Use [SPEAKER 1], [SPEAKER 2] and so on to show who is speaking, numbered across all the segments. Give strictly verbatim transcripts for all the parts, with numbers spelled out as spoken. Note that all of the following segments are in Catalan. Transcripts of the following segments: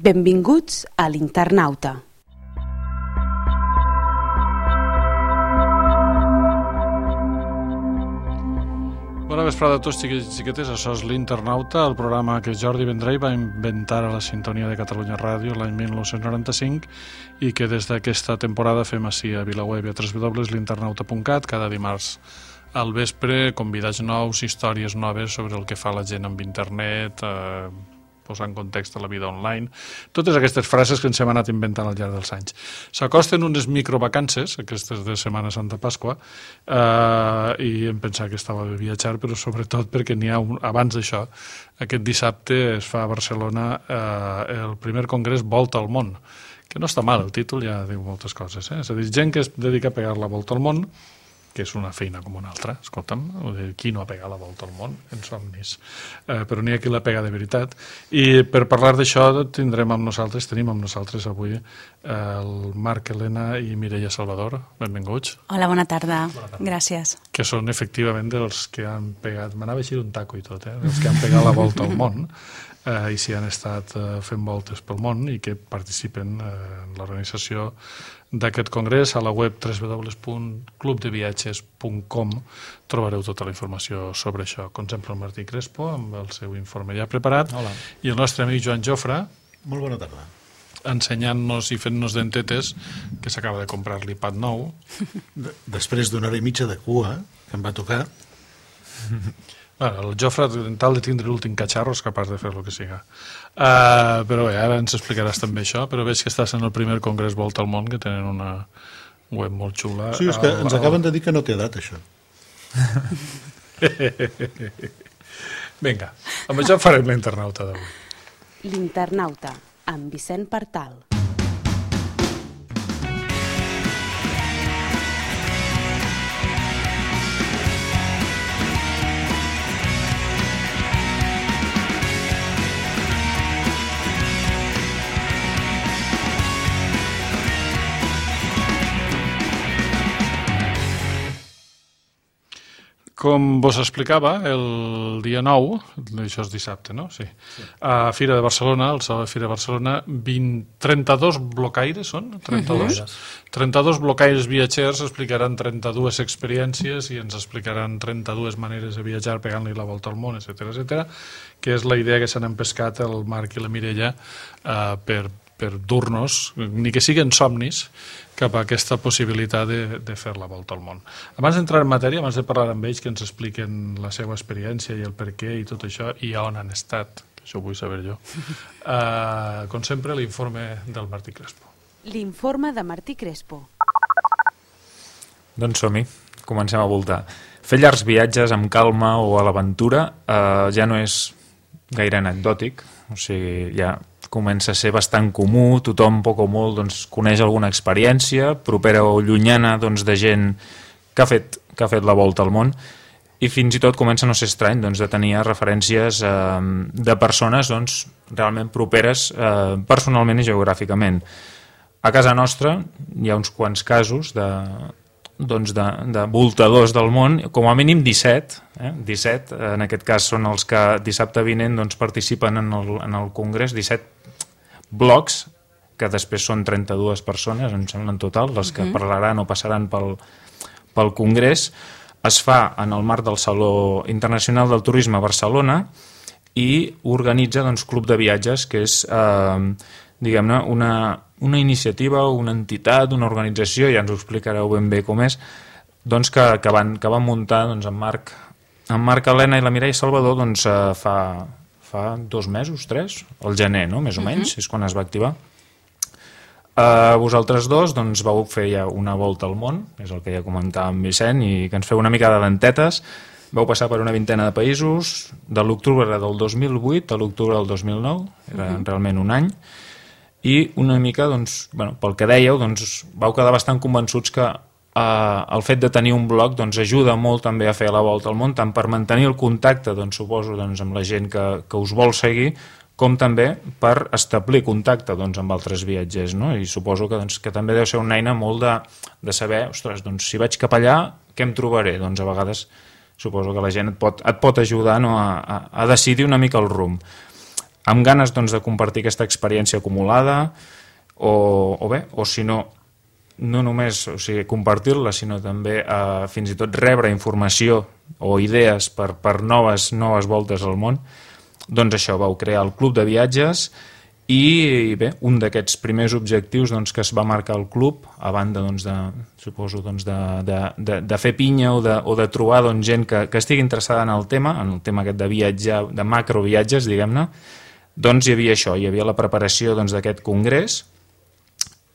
[SPEAKER 1] Benvinguts a l'Internauta.
[SPEAKER 2] Bona vesprada a tots, xiquets i xiquetes. Això és l'Internauta, el programa que Jordi Vendrell va inventar a la sintonia de Catalunya Ràdio l'any mil nou-cents noranta-cinc i que des d'aquesta temporada fem així a VilaWeb i a w w w punt l'internauta punt cat cada dimarts al vespre, convidats nous, històries noves sobre el que fa la gent amb internet, eh, posar en context a la vida online, totes aquestes frases que ens hem anat inventant al llarg dels anys. S'acosten unes microvacances, aquestes de Setmana Santa Pasqua, eh, i em pensava que estava de viatjar, però sobretot perquè n'hi ha un, abans d'això, aquest dissabte es fa a Barcelona eh, el primer congrés Volta al Món, que no està mal, el títol ja diu moltes coses, eh? És a dir, gent que es dedica a pegar la volta al món, que és una feina com una altra, escolta'm, qui no ha pegat la volta al món en somnis, eh, però n'hi ha qui la pega de veritat. I per parlar d'això tindrem amb nosaltres, tenim amb nosaltres avui eh, el Marc Helena i Mireia Salvador, benvinguts.
[SPEAKER 3] Hola, bona tarda, bona tarda. Gràcies.
[SPEAKER 2] Que són efectivament dels que han pegat, m'anava a eixir un taco i tot, eh? Els que han pegat la volta al món, eh, i si han estat eh, fent voltes pel món i que participen eh, en l'organització d'aquest congrés. A la web w w w punt club de viatges punt com trobareu tota la informació sobre això. Com sempre el Martí Crespo amb el seu informe ja preparat.
[SPEAKER 4] Hola.
[SPEAKER 2] I el nostre amic Joan Jofre,
[SPEAKER 4] molt bona tarda,
[SPEAKER 2] ensenyant-nos i fent-nos dentetes que s'acaba de comprar l'iPad nou.
[SPEAKER 4] De després d'una hora i mitja de cua que em va tocar.
[SPEAKER 2] Bueno, el Jofre, en tal de tindre l'últim catxarro, és capaç de fer el que siga. Uh, però bé, ara ens explicaràs també això, però veig que estàs en el primer congrés Volta al Món, que tenen una web molt xula.
[SPEAKER 4] Sí, és que el, ens acaben de dir que no té edat, això.
[SPEAKER 2] Vinga, amb això farem l'Internauta d'avui.
[SPEAKER 1] L'Internauta, amb Vicent Partal.
[SPEAKER 2] Com vos explicava, el dia nou, això és dissabte, no? Sí. Sí. A Fira de Barcelona, al Saló de Fira de Barcelona, vint, trenta-dos blocaires són? trenta-dos? Uh-huh. trenta-dos blocaires viatgers explicaran trenta-dues experiències i ens explicaran trenta-dues maneres de viatjar pegant-li la volta al món, etcètera, etcètera, que és la idea que s'han empescat el Marc i la Mireia eh, per, per dur-nos, ni que siguin somnis, cap a aquesta possibilitat de, de fer la volta al món. Abans d'entrar en matèria, abans de parlar amb ells, que ens expliquen la seva experiència i el per què i tot això, i on han estat, que això ho vull saber jo. Uh, com sempre, l'informe del Martí Crespo.
[SPEAKER 1] L'informe de Martí Crespo.
[SPEAKER 5] Doncs som-hi, comencem a voltar. Fer llargs viatges amb calma o a l'aventura uh, ja no és gaire anecdòtic, o sigui, ja comença a ser bastant comú, tothom poc o molt doncs, coneix alguna experiència propera o llunyana doncs, de gent que ha, fet, que ha fet la volta al món, i fins i tot comença a no ser estrany doncs, de tenir referències eh, de persones doncs, realment properes eh, personalment i geogràficament. A casa nostra hi ha uns quants casos de, doncs, de, de voltadors del món, com a mínim disset, eh? disset, en aquest cas són els que dissabte vinent doncs, participen en el, en el congrés, disset blocs, que després són trenta-dues persones, em sembla en total, les que uh-huh. parlaran o passaran pel, pel congrés. Es fa en el marc del Saló Internacional del Turisme a Barcelona i organitza doncs, Club de Viatges, que és eh, diguem-ne una, una iniciativa, una entitat, una organització, ja ens ho explicareu ben bé com és, doncs, que, que, van, que van muntar doncs, en Marc, en Marc Helena i la Mireia Salvador doncs, eh, fa... fa dos mesos, tres, al gener, no? Més o menys, uh-huh. és quan es va activar. Uh, vosaltres dos doncs, vau fer ja una volta al món, és el que ja comentava en Vicent, i que ens feu una mica de dentetes. Vau passar per una vintena de països, de l'octubre del dos mil vuit a l'octubre del dos mil nou, era uh-huh. realment un any, i una mica, doncs, bueno, pel que dèieu, doncs, vau quedar bastant convençuts que Uh, el fet de tenir un blog doncs, ajuda molt també a fer la volta al món, tant per mantenir el contacte, doncs, suposo, doncs, amb la gent que, que us vol seguir, com també per establir contacte doncs, amb altres viatgers, no? I suposo que, doncs, que també deu ser una eina molt de, de saber, ostres, doncs, si vaig cap allà, què em trobaré? Doncs a vegades suposo que la gent et pot, et pot ajudar, no? a, a, a decidir una mica el rumb. amb ganes doncs, de compartir aquesta experiència acumulada o, o bé, o si no, no només o sigui, compartir-la, sinó també eh, fins i tot rebre informació o idees per, per noves, noves voltes al món, doncs això, vau crear el Club de Viatges. I bé, un d'aquests primers objectius doncs, que es va marcar el club, a banda doncs, de, suposo, doncs, de, de, de, de fer pinya o de, o de trobar doncs, gent que, que estigui interessada en el tema, en el tema aquest de viatjar, de macroviatges, diguem-ne, doncs hi havia això, hi havia la preparació doncs, d'aquest congrés,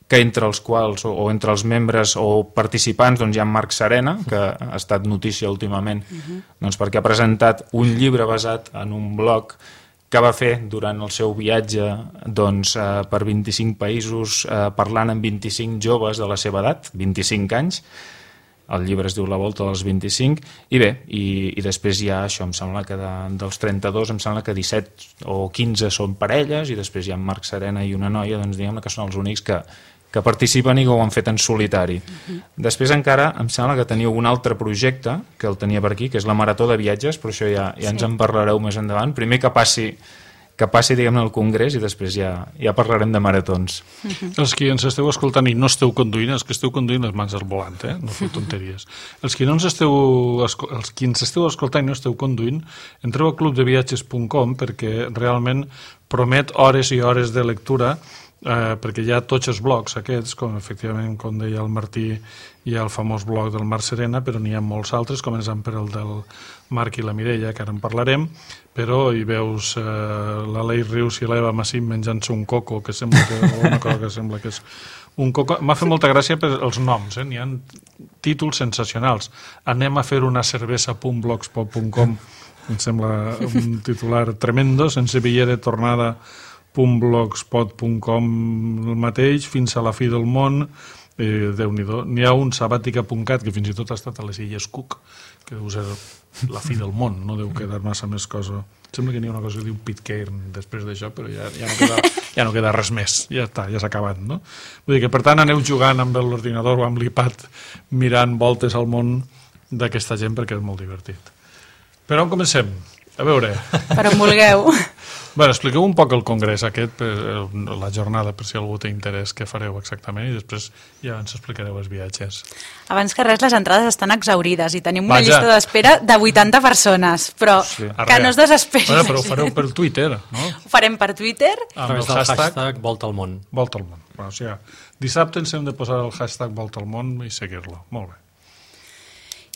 [SPEAKER 5] que entre els quals, o, o entre els membres o participants, doncs, hi ha Marc Serena, que ha estat notícia últimament, uh-huh. doncs, perquè ha presentat un llibre basat en un blog que va fer durant el seu viatge doncs, eh, per vint-i-cinc països, eh, parlant amb vint-i-cinc joves de la seva edat, vint-i-cinc anys. El llibre es diu La volta dels vint-i-cinc, i bé, i, i després hi ha això, em sembla que de, dels trenta-dos, em sembla que disset o quinze són parelles, i després hi ha Marc Serena i una noia, doncs diguem-ne que són els únics que, que participen i que ho han fet en solitari. Uh-huh. Després encara em sembla que teniu un altre projecte, que el tenia per aquí, que és la Marató de Viatges, però això ja, ja sí. ens en parlareu més endavant. Primer que passi, que passi diguem-ne, al Congrés, i després ja, ja parlarem de maratons.
[SPEAKER 2] Uh-huh. Els que ens esteu escoltant i no esteu conduint, els que esteu conduint les mans al volant, eh? No feu tonteries. Els que, no ens esteu, els que ens esteu escoltant i no esteu conduint, entreu a club de viatges punt com perquè realment promet hores i hores de lectura. Eh, perquè hi ha tots els blogs aquests, com efectivament, com deia el Martí, hi ha el famós blog del Marc Serena, però n'hi ha molts altres, començant per el del Marc i la Mireia, que ara en parlarem, però hi veus eh, l'Aleix Rius i l'Eva Massip menjant-se un coco, que sembla que, una cosa que sembla que és un coco. M'ha fet molta gràcia per els noms, eh? N'hi ha títols sensacionals. Anem a fer una cervesa punt blogspot punt com, em sembla un titular tremendo, sense bitllet de tornada .blogspot punt com el mateix, fins a la fi del món, eh, Déu-n'hi-do. N'hi ha un sabàtica punt cat, que fins i tot ha estat a les Illes Cook, que deu ser la fi del món, no deu quedar massa més cosa. Sembla que n'hi ha una cosa que diu Pitcairn després d'això, però ja, ja, no queda, ja no queda res més, ja està, ja s'ha acabat, no? Vull dir que, per tant, aneu jugant amb l'ordinador o amb l'iPad, mirant voltes al món d'aquesta gent, perquè és molt divertit. Per on comencem? A veure...
[SPEAKER 3] Per on vulgueu.
[SPEAKER 2] Bueno, expliqueu un poc el congrés aquest, per, la jornada, per si algú té interès, què fareu exactament, i després ja ens explicareu els viatges.
[SPEAKER 3] Abans que res, les entrades estan exaurides i tenim una
[SPEAKER 2] Vaja.
[SPEAKER 3] llista d'espera de vuitanta persones, però sí. que no es desesperin.
[SPEAKER 2] Bueno, però ho fareu per Twitter, no?
[SPEAKER 3] Ho farem per Twitter.
[SPEAKER 6] A través del hashtag, hashtag Volta al món.
[SPEAKER 2] Volta al món. Bueno, o sigui, dissabte ens hem de posar el hashtag Volta al món i seguir-lo. Molt bé.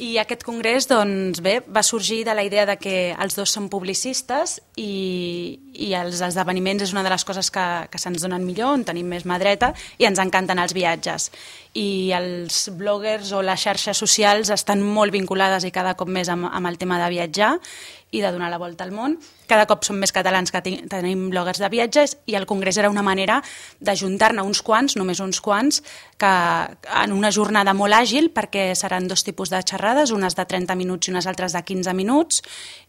[SPEAKER 3] I aquest congrés, doncs bé, va sorgir de la idea de que els dos som publicistes i, i els esdeveniments és una de les coses que, que se'ns donen millor, on tenim més mà dreta, i ens encanten els viatges. I els bloggers o les xarxes socials estan molt vinculades i cada cop més amb, amb el tema de viatjar i de donar la volta al món. Cada cop som més catalans que tenim bloggers de viatges i el congrés era una manera d'ajuntar-ne uns quants, només uns quants, que en una jornada molt àgil, perquè seran dos tipus de xerrades, unes de trenta minuts i unes altres de quinze minuts,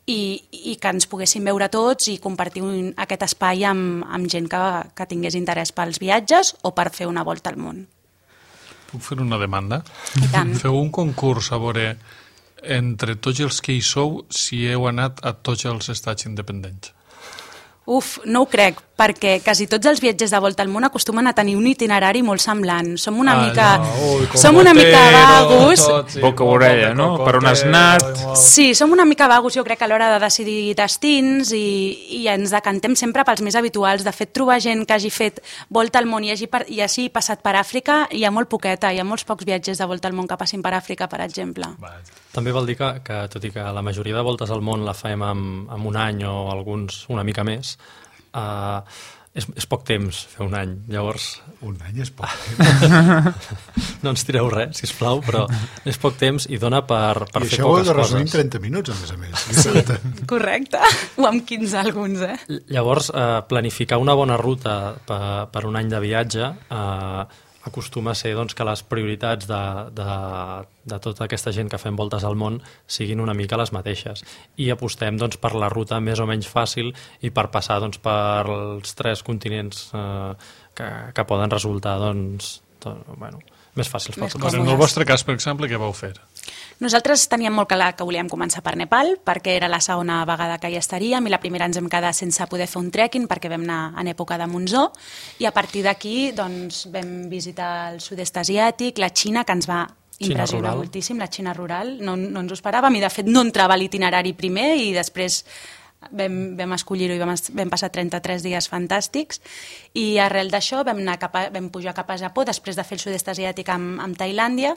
[SPEAKER 3] i, i que ens poguéssim veure tots i compartir un, aquest espai amb, amb gent que, que tingués interès pels viatges o per fer una volta al món.
[SPEAKER 2] Puc fer una demanda?
[SPEAKER 3] I tant.
[SPEAKER 2] Feu un concurs a veure entre tots els que hi sou si heu anat a tots els estats independents.
[SPEAKER 3] Uf, no ho crec, perquè quasi tots els viatgers de volta al món acostumen a tenir un itinerari molt semblant. Som una ah, mica... No. Ui, som una mica vagos.
[SPEAKER 5] Sí, boca orella, no? Per on has anat?
[SPEAKER 3] Sí, som una mica vagos, jo crec, a l'hora de decidir destins i, i ens decantem sempre pels més habituals. De fet, trobar gent que hagi fet volta al món i hagi, i hagi passat per Àfrica, hi ha molt poqueta, hi ha molts pocs viatgers de volta al món que passin per Àfrica, per exemple.
[SPEAKER 6] També vol dir que, que tot i que la majoria de voltes al món la fem amb, amb un any o alguns una mica més, Uh, és, és poc temps fer un any, llavors...
[SPEAKER 4] Un any és poc temps.
[SPEAKER 6] No ens tireu res, sisplau, però és poc temps i dona per, per
[SPEAKER 4] I
[SPEAKER 6] fer poques coses. I això ho heu de
[SPEAKER 4] resumir en trenta minuts, a més a més.
[SPEAKER 3] Sí, correcte. O amb quinze alguns, eh?
[SPEAKER 6] Llavors, uh, planificar una bona ruta per, per un any de viatge uh, acostuma a ser doncs, que les prioritats de, de, de tota aquesta gent que fem voltes al món siguin una mica les mateixes. I apostem doncs, per la ruta més o menys fàcil i per passar doncs, per els tres continents eh, que, que poden resultar doncs, tot, bueno, més fàcils per tothom.
[SPEAKER 2] En el vostre cas, per exemple, què vau fer?
[SPEAKER 3] Nosaltres teníem molt clar que volíem començar per Nepal, perquè era la segona vegada que hi estaríem, i la primera ens vam quedar sense poder fer un trekking perquè vam anar en època de monsó, i a partir d'aquí doncs, vam visitar el sud-est asiàtic, la Xina, que ens va impressionar moltíssim, la Xina rural, no, no ens ho esperàvem, i de fet no entrava a l'itinerari primer, i després vam, vam escollir-ho i vam, vam passar trenta-tres dies fantàstics, i arrel d'això vam, anar cap a, vam pujar cap a Japó, després de fer el sud-est asiàtic amb, amb Tailàndia,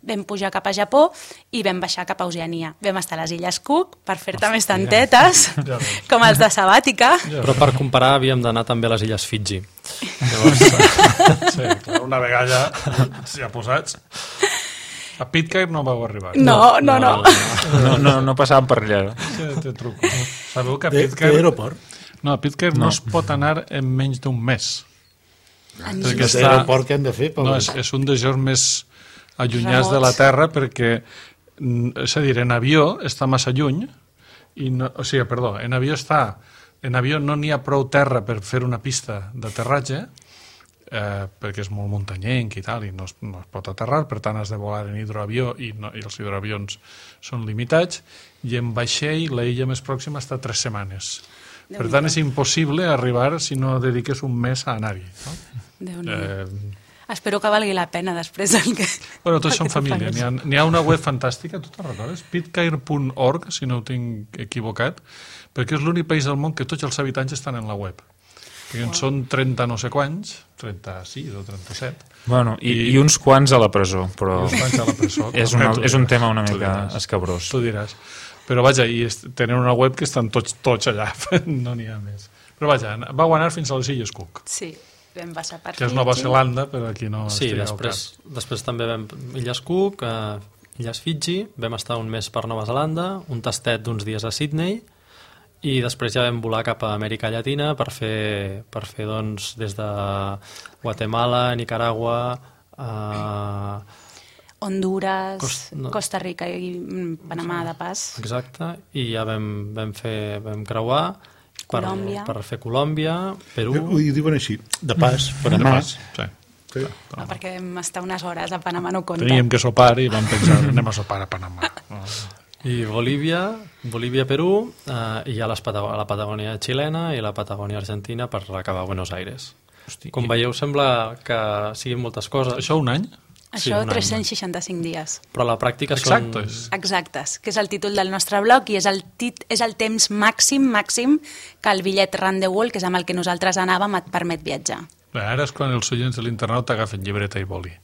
[SPEAKER 3] vam pujar cap a Japó i vam baixar cap a Oceania. Vam estar a les Illes Cook per fer-te més tantetes, com els de Sabàtica.
[SPEAKER 6] Però per comparar havíem d'anar també a les Illes Fiji.
[SPEAKER 2] Llavors, sí, clar, una vegada ja posats. A Pitcairn no vau arribar.
[SPEAKER 3] No, no, no.
[SPEAKER 5] No, no, no passàvem per allà.
[SPEAKER 2] Sí, te truco. Sabeu que a
[SPEAKER 4] De,
[SPEAKER 2] Pitcairn...
[SPEAKER 4] de aeroport?
[SPEAKER 2] No, a Pitcairn no.
[SPEAKER 5] No.
[SPEAKER 2] no es pot anar en menys d'un mes. Perquè
[SPEAKER 4] De
[SPEAKER 2] està...
[SPEAKER 4] aeroport que hem de fer?
[SPEAKER 2] No, és, és un dels llocs més allunyats de la Terra perquè, és a dir, en avió està massa lluny, i no, o sigui, perdó, en avió està... En avió no n'hi ha prou terra per fer una pista d'aterratge, eh, perquè és molt muntanyenc i tal, i no es, no es pot aterrar, per tant has de volar en hidroavió, i, no, i els hidroavions són limitats, i en vaixell la illa més pròxima està tres setmanes. Per tant, és impossible arribar si no dediques un mes a anar-hi. No?
[SPEAKER 3] Déu-n'hi-do.
[SPEAKER 2] Eh,
[SPEAKER 3] Espero que valgui la pena després del que...
[SPEAKER 2] Bueno, tots
[SPEAKER 3] el
[SPEAKER 2] són
[SPEAKER 3] que tu
[SPEAKER 2] família.
[SPEAKER 3] facis.
[SPEAKER 2] N'hi ha, n'hi ha una web fantàstica, tu te'n recordes? pitcairn punt org, si no ho tinc equivocat, perquè és l'únic país del món que tots els habitants estan en la web. Perquè en són trenta no sé quants, trenta-sis o trenta-set.
[SPEAKER 5] Bueno, i,
[SPEAKER 2] I-
[SPEAKER 5] i uns quants a la presó, però
[SPEAKER 2] I uns quants a la presó.
[SPEAKER 5] és, una,
[SPEAKER 2] Tu
[SPEAKER 5] és un
[SPEAKER 2] diràs,
[SPEAKER 5] tema una
[SPEAKER 2] tu
[SPEAKER 5] mica
[SPEAKER 2] diràs.
[SPEAKER 5] escabrós.
[SPEAKER 2] Tu diràs. Però vaja, i est- tenen una web que estan tots, tots allà, no n'hi ha més. Però vaja, vau anar fins a les Illes Cook,
[SPEAKER 3] Sí, vam passar per
[SPEAKER 2] que és Nova
[SPEAKER 3] Fiji.
[SPEAKER 2] Zelanda, però aquí no
[SPEAKER 6] Sí,
[SPEAKER 2] estigueu
[SPEAKER 6] després,
[SPEAKER 2] cap.
[SPEAKER 6] després també vam Illes Cook, eh, Illes Fiji, vam estar un mes per Nova Zelanda, un tastet d'uns dies a Sydney, i després ja vam volar cap a Amèrica Llatina per fer, per fer doncs, des de Guatemala, Nicaragua, eh,
[SPEAKER 3] Honduras,
[SPEAKER 6] Cost- no.
[SPEAKER 3] Costa Rica i mm, Panamà de pas.
[SPEAKER 6] exacte, i ja vam, vam, fer, vam creuar per,
[SPEAKER 3] Colòmbia.
[SPEAKER 6] per fer Colòmbia, Perú...
[SPEAKER 4] Ho diuen així, de pas,
[SPEAKER 2] De
[SPEAKER 4] Panamà.
[SPEAKER 2] pas, sí.
[SPEAKER 4] Sí.
[SPEAKER 3] No, perquè vam estar unes hores a Panamà, no compta.
[SPEAKER 2] Teníem que sopar i vam pensar, anem a sopar a Panamà. No.
[SPEAKER 6] I Bolívia, Bolívia, Perú, eh, i ja les Patago- la Patagònia xilena i la Patagònia argentina per acabar a Buenos Aires.
[SPEAKER 2] Hosti,
[SPEAKER 6] Com veieu, sembla que siguin moltes coses,
[SPEAKER 2] Això un any?
[SPEAKER 6] Sí,
[SPEAKER 3] Això
[SPEAKER 6] un any.
[SPEAKER 3] tres-cents seixanta-cinc dies.
[SPEAKER 6] però a la pràctica
[SPEAKER 2] Exactes.
[SPEAKER 6] són...
[SPEAKER 3] Exactes, que és el títol del nostre blog i és el, tit és el temps màxim, màxim que el bitllet Round the World, que és amb el que nosaltres anàvem, et permet viatjar.
[SPEAKER 2] Bé, ara és quan els oients de l'internet agafen llibreta i boli.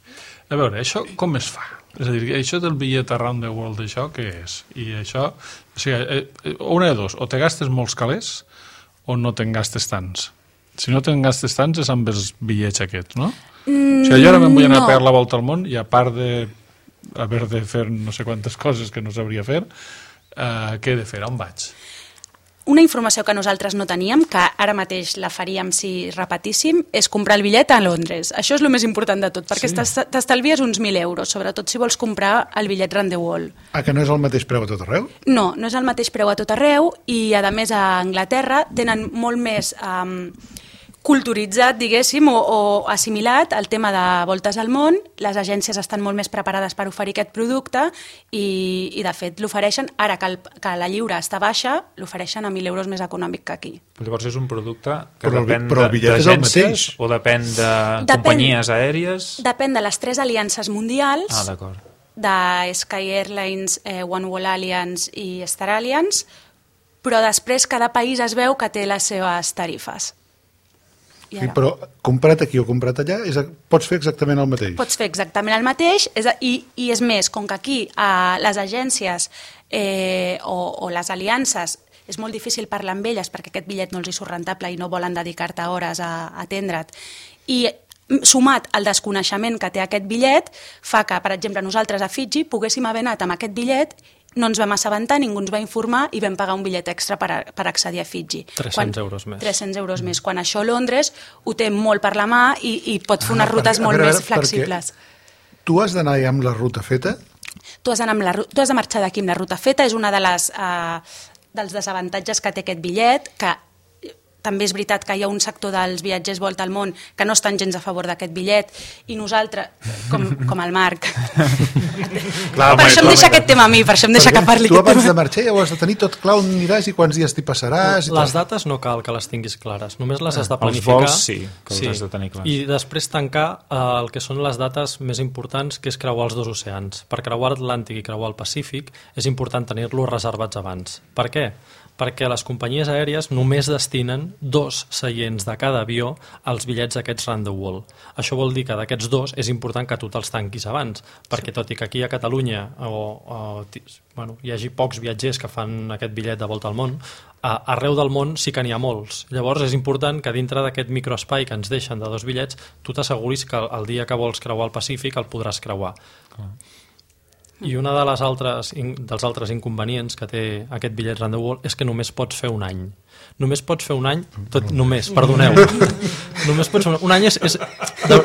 [SPEAKER 2] A veure, això com es fa? És a dir, això del bitllet Around the World, això què és? I això, o sigui, eh, una de dos, o te gastes molts calés o no te'n gastes tants. Si no te'n gastes tants és amb els bitllets aquests, no? Mm, o sigui, jo ara me'n vull anar
[SPEAKER 3] no.
[SPEAKER 2] a pegar la volta al món i a part de haver de fer no sé quantes coses que no sabria fer, eh, què he de fer? On vaig?
[SPEAKER 3] Una informació que nosaltres no teníem, que ara mateix la faríem si repetíssim, és comprar el bitllet a Londres. Això és el més important de tot, perquè
[SPEAKER 2] Sí.
[SPEAKER 3] t'estalvies uns mil euros, sobretot si vols comprar el bitllet Round the World.
[SPEAKER 4] Ah, que no és el mateix preu a tot arreu?
[SPEAKER 3] No, no és el mateix preu a tot arreu i, a més, a Anglaterra tenen molt més um, culturitzat, diguéssim, o, o assimilat el tema de voltes al món. Les agències estan molt més preparades per oferir aquest producte i, i de fet, l'ofereixen, ara que, el, que la lliure està baixa, l'ofereixen a mil euros més econòmic que aquí.
[SPEAKER 5] Llavors és un producte que
[SPEAKER 4] Però el bi-
[SPEAKER 5] depèn
[SPEAKER 4] però el
[SPEAKER 5] de-
[SPEAKER 4] bitllet és el
[SPEAKER 5] d'agències
[SPEAKER 4] mateix.
[SPEAKER 5] o depèn de
[SPEAKER 3] Depèn-
[SPEAKER 5] companyies aèries?
[SPEAKER 3] Depèn de les tres aliances mundials,
[SPEAKER 5] Ah, d'acord.
[SPEAKER 3] de Sky Airlines, eh, One World Alliance i Star Alliance, però després cada país es veu que té les seves tarifes. I
[SPEAKER 4] Sí,
[SPEAKER 3] ara?
[SPEAKER 4] però comprat aquí o comprat allà, és, pots fer exactament el mateix.
[SPEAKER 3] Pots fer exactament el mateix és, a- i, i és més, com que aquí a les agències eh, o, o les aliances és molt difícil parlar amb elles perquè aquest bitllet no els hi surt rentable i no volen dedicar-te hores a, a atendre't, i sumat al desconeixement que té aquest bitllet fa que, per exemple, nosaltres a Fiji poguéssim haver anat amb aquest bitllet, no ens vam assabentar, ningú ens va informar i vam pagar un bitllet extra per, a, per accedir a Fiji.
[SPEAKER 6] tres-cents euros més.
[SPEAKER 3] tres-cents euros més. Quan això Londres ho té molt per la mà i, i pot fer unes
[SPEAKER 4] Ah,
[SPEAKER 3] rutes
[SPEAKER 4] perquè- a
[SPEAKER 3] molt
[SPEAKER 4] veure,
[SPEAKER 3] més
[SPEAKER 4] a veure,
[SPEAKER 3] flexibles.
[SPEAKER 4] Tu has d'anar ja amb la ruta feta?
[SPEAKER 3] Tu has, d'anar amb la, ru- tu has de marxar d'aquí amb la ruta feta, és una de les, eh, dels desavantatges que té aquest bitllet, que també és veritat que hi ha un sector dels viatgers volta al món que no estan gens a favor d'aquest bitllet, i nosaltres, com, com el Marc,
[SPEAKER 4] Clar,
[SPEAKER 3] per això em deixa aquest tema a mi, per això em deixa que parli
[SPEAKER 4] tu
[SPEAKER 3] aquest
[SPEAKER 4] abans
[SPEAKER 3] tema.
[SPEAKER 4] de marxar ja ho has de tenir tot clar, on aniràs i quants dies t'hi passaràs i
[SPEAKER 6] Les
[SPEAKER 4] tot.
[SPEAKER 6] dates no cal que les tinguis clares, només les has de
[SPEAKER 5] Els
[SPEAKER 6] planificar.
[SPEAKER 5] vols sí, que els has de tenir clars.
[SPEAKER 6] I després tancar eh, el que són les dates més importants, que és creuar els dos oceans. Per creuar l'Atlàntic i creuar el Pacífic és important tenir-los reservats abans. Per què? Perquè les companyies aèries només destinen dos seients de cada avió als bitllets aquests round the world. Això vol dir que d'aquests dos és important que tu te'ls tanquis abans, perquè tot i que aquí a Catalunya o, o, bueno, hi hagi pocs viatgers que fan aquest bitllet de volta al món, a, arreu del món sí que n'hi ha molts. Llavors és important que dintre d'aquest microespai que ens deixen de dos bitllets tu t'asseguris que el, el dia que vols creuar el Pacífic el podràs creuar. Clar. I una de les altres, dels altres inconvenients que té aquest bitllet round the world és que només pots fer un any. Només pots fer un any, tot, només, perdoneu. Només pots fer un, un any és, és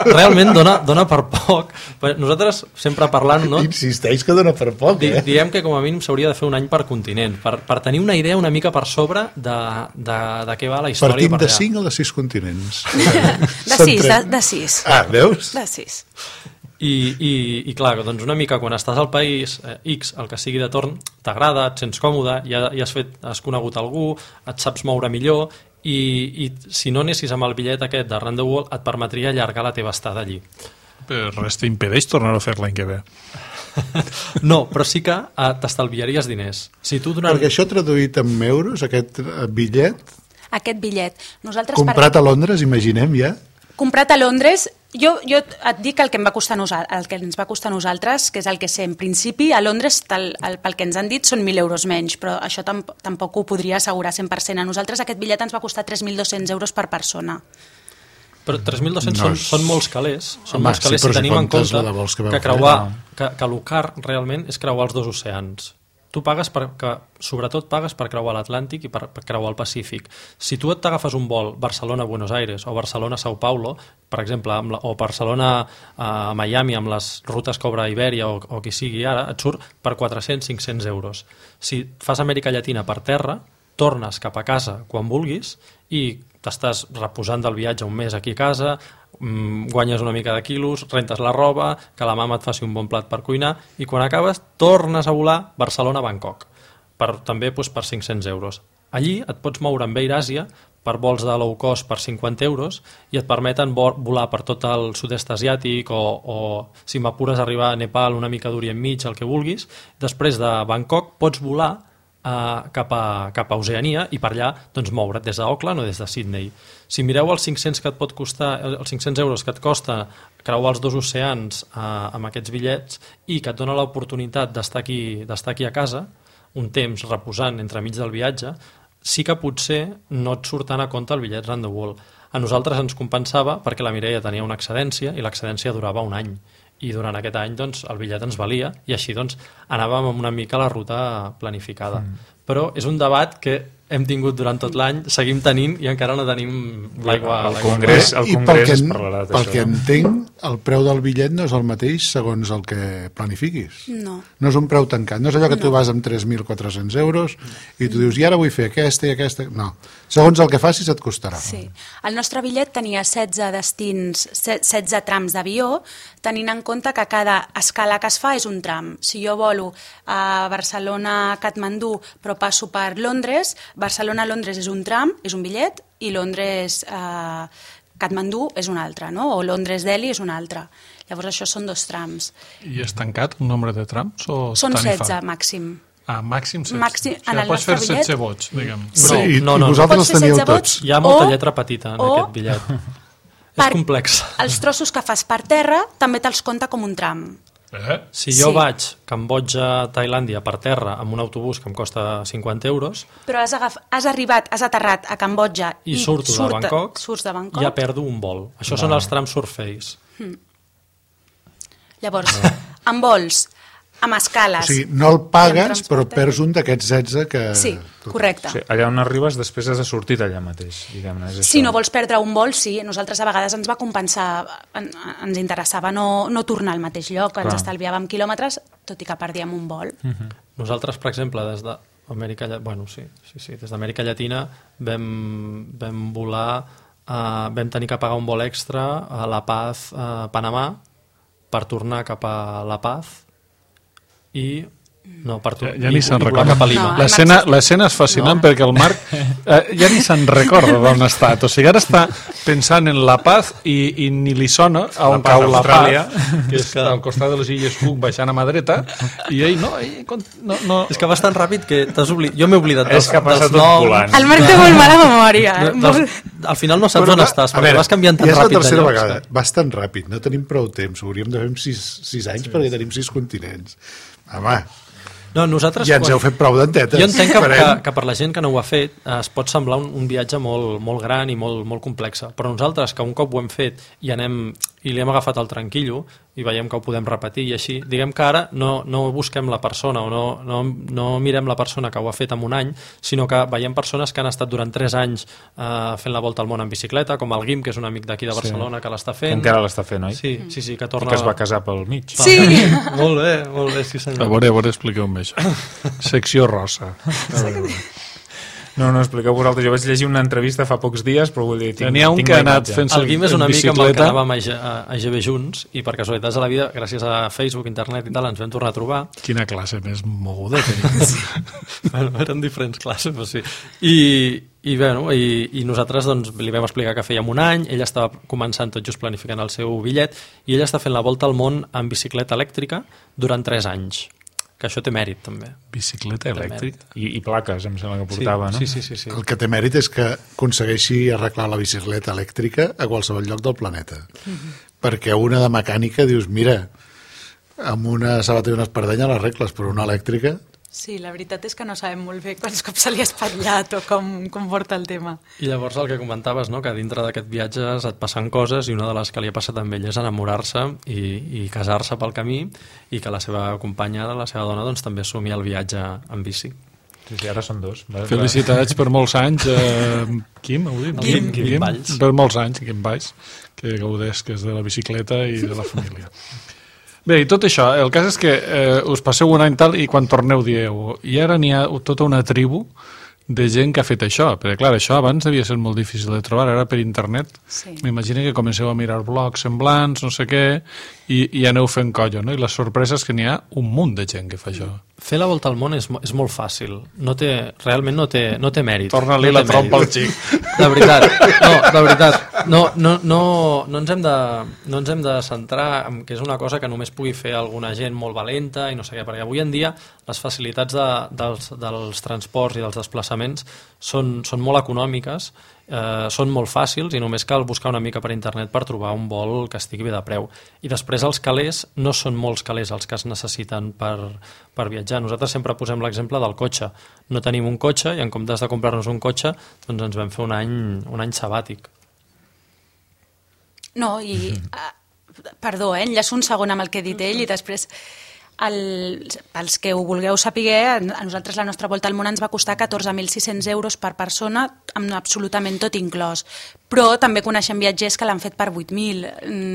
[SPEAKER 6] realment dona, dona per poc. Nosaltres sempre parlant, no?
[SPEAKER 4] Insisteix que dona per poc, eh?
[SPEAKER 6] Di, diem que com a mínim s'hauria de fer un any per continent, per, per tenir una idea una mica per sobre de, de, de què va la història.
[SPEAKER 4] Partim
[SPEAKER 6] per
[SPEAKER 4] de
[SPEAKER 6] allà.
[SPEAKER 4] cinc o de sis continents?
[SPEAKER 3] De sis, de, de sis.
[SPEAKER 4] Ah, veus?
[SPEAKER 3] De sis.
[SPEAKER 6] I, i, i clar, doncs una mica quan estàs al país eh, X, el que sigui de torn, t'agrada, et sents còmode, ja, ja has, fet, has conegut algú, et saps moure millor i, i si no anessis amb el bitllet aquest de Round the World et permetria allargar la teva estada allí.
[SPEAKER 2] Però res t'impedeix tornar a fer l'any que ve.
[SPEAKER 6] No, però sí que eh, t'estalviaries diners. Si tu durant...
[SPEAKER 4] Perquè això traduït en euros, aquest bitllet,
[SPEAKER 3] Aquest bitllet. Nosaltres
[SPEAKER 4] comprat
[SPEAKER 3] per...
[SPEAKER 4] a Londres, imaginem ja...
[SPEAKER 3] Comprat a Londres, jo, jo et dic el que, em va costar nosa, el que ens va costar a nosaltres, que és el que sé. En principi, a Londres, tal, el, pel que ens han dit, són mil euros menys, però això tamp tampoc ho podria assegurar cent per cent. A nosaltres aquest bitllet ens va costar tres mil dos-cents euros per persona.
[SPEAKER 6] Però tres mil dos-cents
[SPEAKER 4] No
[SPEAKER 6] són,
[SPEAKER 4] és-
[SPEAKER 6] són molts calés, són
[SPEAKER 4] Home,
[SPEAKER 6] molts calés
[SPEAKER 4] sí, però
[SPEAKER 6] si
[SPEAKER 4] si
[SPEAKER 6] tenim en
[SPEAKER 4] comptes
[SPEAKER 6] compte
[SPEAKER 4] la de vols que vau
[SPEAKER 6] que
[SPEAKER 4] fer,
[SPEAKER 6] creuar,
[SPEAKER 4] no.
[SPEAKER 6] que, que el car realment és creuar els dos oceans. Tu pagues per, que, sobretot pagues per creuar l'Atlàntic i per, per creuar el Pacífic. Si tu et t'agafes un vol Barcelona-Buenos Aires o Barcelona-São Paulo, per exemple, amb la, o Barcelona a Miami amb les rutes que obre Ibèria o, o qui sigui ara, et surt per quatre-cents a cinc-cents euros. Si fas Amèrica Llatina per terra, tornes cap a casa quan vulguis i t'estàs reposant del viatge un mes aquí a casa, guanyes una mica de quilos, rentes la roba, que la mama et faci un bon plat per cuinar i quan acabes tornes a volar Barcelona-Bangkok, per, també doncs, per cinc-cents euros. Allí et pots moure amb Air Asia per vols de low cost per cinquanta euros i et permeten volar per tot el sud-est asiàtic o, o si m'apures arribar a Nepal una mica d'Orient Mig, el que vulguis. Després de Bangkok pots volar Uh, cap, a, cap a Oceania i per allà doncs, moure't des d'Auckland o des de Sydney. Si mireu els cinc-cents que et pot costar, els cinc-cents euros que et costa creuar els dos oceans uh, amb aquests bitllets i que et dona l'oportunitat d'estar aquí, d'estar aquí a casa un temps reposant entremig del viatge, sí que potser no et surt tant a compte el bitllet round the world. A nosaltres ens compensava perquè la Mireia tenia una excedència i l'excedència durava un any. I durant aquest any doncs, el bitllet ens valia i així doncs, anàvem amb una mica la ruta planificada. Mm. Però és un debat que hem tingut durant tot l'any, seguim tenint i encara no tenim l'aigua.
[SPEAKER 5] El Congrés, el
[SPEAKER 4] I pel
[SPEAKER 5] Congrés
[SPEAKER 4] que,
[SPEAKER 5] es parlarà d'això.
[SPEAKER 4] pel que entenc, el preu del bitllet no és el mateix segons el que planifiquis.
[SPEAKER 3] No.
[SPEAKER 4] No és un preu tancat. No és allò que tu vas amb tres mil quatre-cents euros i tu dius, i ara vull fer aquesta i aquesta... No. Segons el que facis et costarà.
[SPEAKER 3] Sí. El nostre bitllet tenia setze destins, setze trams d'avió, tenint en compte que cada escala que es fa és un tram. Si jo volo a Barcelona-Katmandú però passo per Londres, Barcelona-Londres és un tram, és un bitllet, i Londres-Katmandú és un altre, no? O Londres-Delhi és un altre. Llavors això són dos trams.
[SPEAKER 2] I és tancat el nombre de trams? O
[SPEAKER 3] Són
[SPEAKER 2] tarifat?
[SPEAKER 3] setze màxim.
[SPEAKER 2] Ah, màxim setze.
[SPEAKER 3] Màxim,
[SPEAKER 2] O sigui,
[SPEAKER 3] en el
[SPEAKER 2] pots
[SPEAKER 3] nostre
[SPEAKER 2] fer
[SPEAKER 3] bitllet-
[SPEAKER 2] setze vots, diguem.
[SPEAKER 4] Sí,
[SPEAKER 6] No,
[SPEAKER 4] i,
[SPEAKER 6] no, no,
[SPEAKER 4] i
[SPEAKER 6] no.
[SPEAKER 4] vosaltres
[SPEAKER 3] Pots
[SPEAKER 4] els
[SPEAKER 3] fer
[SPEAKER 4] teníeu
[SPEAKER 3] setze
[SPEAKER 4] tots.
[SPEAKER 3] vots?
[SPEAKER 6] Hi ha molta
[SPEAKER 3] O-
[SPEAKER 6] lletra petita en
[SPEAKER 3] o-
[SPEAKER 6] aquest bitllet.
[SPEAKER 3] Per-
[SPEAKER 6] És complex.
[SPEAKER 3] Els trossos que fas per terra també te'ls compta com un tram.
[SPEAKER 2] Eh?
[SPEAKER 6] Si jo
[SPEAKER 3] Sí.
[SPEAKER 6] vaig a Cambodja, Tailàndia, per terra, amb un autobús que em costa cinquanta euros,
[SPEAKER 3] Però has, agaf... has arribat, has aterrat a Cambodja
[SPEAKER 6] i,
[SPEAKER 3] i,
[SPEAKER 6] surto
[SPEAKER 3] surt...
[SPEAKER 6] de Bangkok,
[SPEAKER 3] surts de Bangkok.
[SPEAKER 6] ja perdo un vol. Això són els trams surface.
[SPEAKER 3] Llavors, amb vols, amb
[SPEAKER 4] O
[SPEAKER 3] escales...
[SPEAKER 4] sigui, no el
[SPEAKER 3] i amb
[SPEAKER 4] pagues,
[SPEAKER 3] transport
[SPEAKER 4] però
[SPEAKER 3] aeri.
[SPEAKER 4] perds un d'aquests setze que...
[SPEAKER 3] Sí, correcte.
[SPEAKER 5] O sigui, allà on arribes després has de sortir d'allà mateix, diguem-ne. És
[SPEAKER 3] Si
[SPEAKER 5] això.
[SPEAKER 3] no vols perdre un vol, sí. Nosaltres a vegades ens va compensar, en, ens interessava no, no tornar al mateix lloc, ens
[SPEAKER 5] Clar.
[SPEAKER 3] estalviàvem quilòmetres, tot i que perdíem un vol.
[SPEAKER 6] Nosaltres, per exemple, des de, Amèrica, bueno, sí, sí, sí. Des d'Amèrica Llatina vam, vam volar, uh, vam tenir que pagar un vol extra a La Paz, a Panamà, per tornar cap a La Paz i no, per
[SPEAKER 2] ja, ja ni se'n recorda.
[SPEAKER 6] Cap a Lima.
[SPEAKER 3] No,
[SPEAKER 2] l'escena és fascinant no. perquè el Marc eh, ja ni se'n recorda d'on ha estat, o sigui, ara està pensant en La Paz i, i ni li sona a on cau La Paz, que és al costat de les Illes Cook baixant a mà dreta, i ell no, ell, no, no.
[SPEAKER 6] És que vas tan ràpid que t'has oblidat, jo m'he oblidat
[SPEAKER 5] dels, dels noms.
[SPEAKER 3] El Marc té molt mala memòria.
[SPEAKER 6] No, dels, al final no saps on estàs, perquè vas canviant tan
[SPEAKER 4] ràpid.
[SPEAKER 6] Ja és la
[SPEAKER 4] tercera vegada, vas tan ràpid, no tenim prou temps, ho hauríem de fer en sis, sis anys sí. perquè tenim sis continents. Home,
[SPEAKER 6] no, nosaltres,
[SPEAKER 4] ja ens
[SPEAKER 6] quan...
[SPEAKER 4] heu fet prou dentetes.
[SPEAKER 6] Jo entenc que, que, que per la gent que no ho ha fet eh, es pot semblar un, un viatge molt, molt gran i molt, molt complex, però nosaltres que un cop ho hem fet i anem i li hem agafat el tranquillo i veiem que ho podem repetir i així, diguem que ara no, no busquem la persona o no, no, no mirem la persona que ho ha fet en un any, sinó que veiem persones que han estat durant tres anys eh, fent la volta al món en bicicleta, com el Guim, que és un amic d'aquí de Barcelona sí. que l'està fent.
[SPEAKER 5] Que encara l'està fent, oi?
[SPEAKER 6] Sí, sí, sí, que torna...
[SPEAKER 5] I que es va casar pel mig.
[SPEAKER 3] Sí!
[SPEAKER 6] Molt bé, molt bé, sí senyor.
[SPEAKER 2] A veure, a veure, expliqueu-me això. Secció rosa.
[SPEAKER 5] No, no, expliqueu vosaltres. Jo vaig llegir una entrevista fa pocs dies, però vull dir...
[SPEAKER 2] N'hi ha un que ha anat fent-se
[SPEAKER 6] el Guim és un amic amb el que anàvem a, a, a G B junts i per casualitats de la vida, gràcies a Facebook, internet i tal, ens vam tornar a trobar.
[SPEAKER 2] Quina classe més moguda tenim.
[SPEAKER 6] Bueno, eren diferents classes, però sí. I, i, bueno, i, i nosaltres doncs, li vam explicar que fèiem un any, ell estava començant tot just planificant el seu bitllet i ell està fent la volta al món en bicicleta elèctrica durant tres anys. Que això té mèrit, també.
[SPEAKER 2] Bicicleta elèctrica?
[SPEAKER 5] I, i plaques, em sembla que portava,
[SPEAKER 6] sí,
[SPEAKER 5] no?
[SPEAKER 6] Sí, sí, sí, sí.
[SPEAKER 4] El que té mèrit és que aconsegueixi arreglar la bicicleta elèctrica a qualsevol lloc del planeta. Mm-hmm. Perquè una de mecànica dius, mira, amb una sabata i una espardenya l'arregles, però una elèctrica...
[SPEAKER 3] Sí, la veritat és que no sabem molt bé quants cops se li ha espatllat o com, com porta el tema.
[SPEAKER 6] I llavors el que comentaves, no? Que dintre d'aquest viatge et passen coses i una de les que li ha passat amb ell és enamorar-se i, i casar-se pel camí i que la seva companya, la seva dona, doncs, també assumi el viatge en bici.
[SPEAKER 5] Sí, sí, ara són dos.
[SPEAKER 2] Felicitats per molts anys, eh, Quim, ho dic?
[SPEAKER 6] Quim, Quim, Quim Valls.
[SPEAKER 2] Per molts anys, Quim Valls, que gaudeix que és de la bicicleta i de la família. Bé, i tot això, el cas és que eh, us passeu un any tal i quan torneu dieu i ara n'hi ha tota una tribu de gent que ha fet això, perquè clar, això abans devia ser molt difícil de trobar, ara per internet
[SPEAKER 3] sí.
[SPEAKER 2] m'imagino que comenceu a mirar blogs semblants, no sé què, i, i aneu fent colla, no? I la sorpresa és que n'hi ha un munt de gent que fa això.
[SPEAKER 6] Fer la volta al món és, és molt fàcil, no té, realment no té, no té mèrit.
[SPEAKER 2] Torna-li
[SPEAKER 6] no
[SPEAKER 2] la trompa al xic.
[SPEAKER 6] De veritat, no, de veritat, no, no, no, no, ens hem de, no ens hem de centrar en que és una cosa que només pugui fer alguna gent molt valenta i no sé què, perquè avui en dia les facilitats de, dels, dels transports i dels desplaçaments són, són molt econòmiques, eh, són molt fàcils i només cal buscar una mica per internet per trobar un vol que estigui bé de preu. I després els calés no són molts calés els que es necessiten per, per viatjar. Nosaltres sempre posem l'exemple del cotxe. No tenim un cotxe i en comptes de comprar-nos un cotxe doncs ens vam fer un any, un any sabàtic.
[SPEAKER 3] No, i... Uh, perdó, eh, enllaço un segon amb el que ha dit ell i després... El, pels que ho vulgueu saber, a nosaltres la nostra volta al món ens va costar catorze mil sis-cents euros per persona, amb absolutament tot inclòs. Però també coneixem viatgers que l'han fet per vuit mil.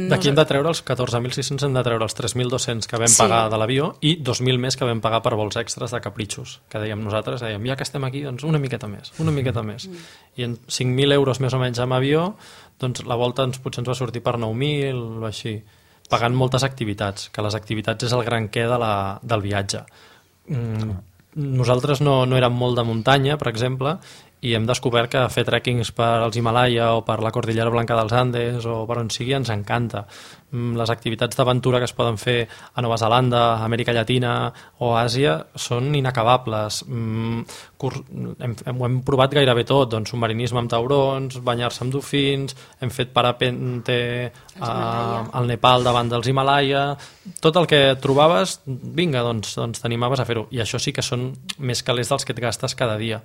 [SPEAKER 6] D'aquí hem de treure els catorze mil sis-cents, hem de treure els tres mil dos-cents que vam sí. pagar de l'avió i dos mil més que vam pagar per vols extras de capritxos, que dèiem nosaltres, dèiem, ja que estem aquí, doncs una miqueta més, una miqueta més. Mm. I en cinc mil euros més o menys amb avió, doncs la volta ens, potser ens va sortir per nou mil o així, pagant moltes activitats, que les activitats és el gran què de la, del viatge. Mm, nosaltres no, no érem molt de muntanya, per exemple, i hem descobert que fer trekkings per als Himalaya o per la Cordillera Blanca dels Andes o per on sigui ens encanta. Les activitats d'aventura que es poden fer a Nova Zelanda, a Amèrica Llatina o a Àsia són inacabables. Hem, hem, hem provat gairebé tot, doncs, submarinisme amb taurons, banyar-se amb dofins, hem fet parapente a, al Nepal davant dels Himalaya, tot el que trobaves, vinga, doncs, doncs t'animaves a fer-ho. I això sí que són més calés dels que et gastes cada dia.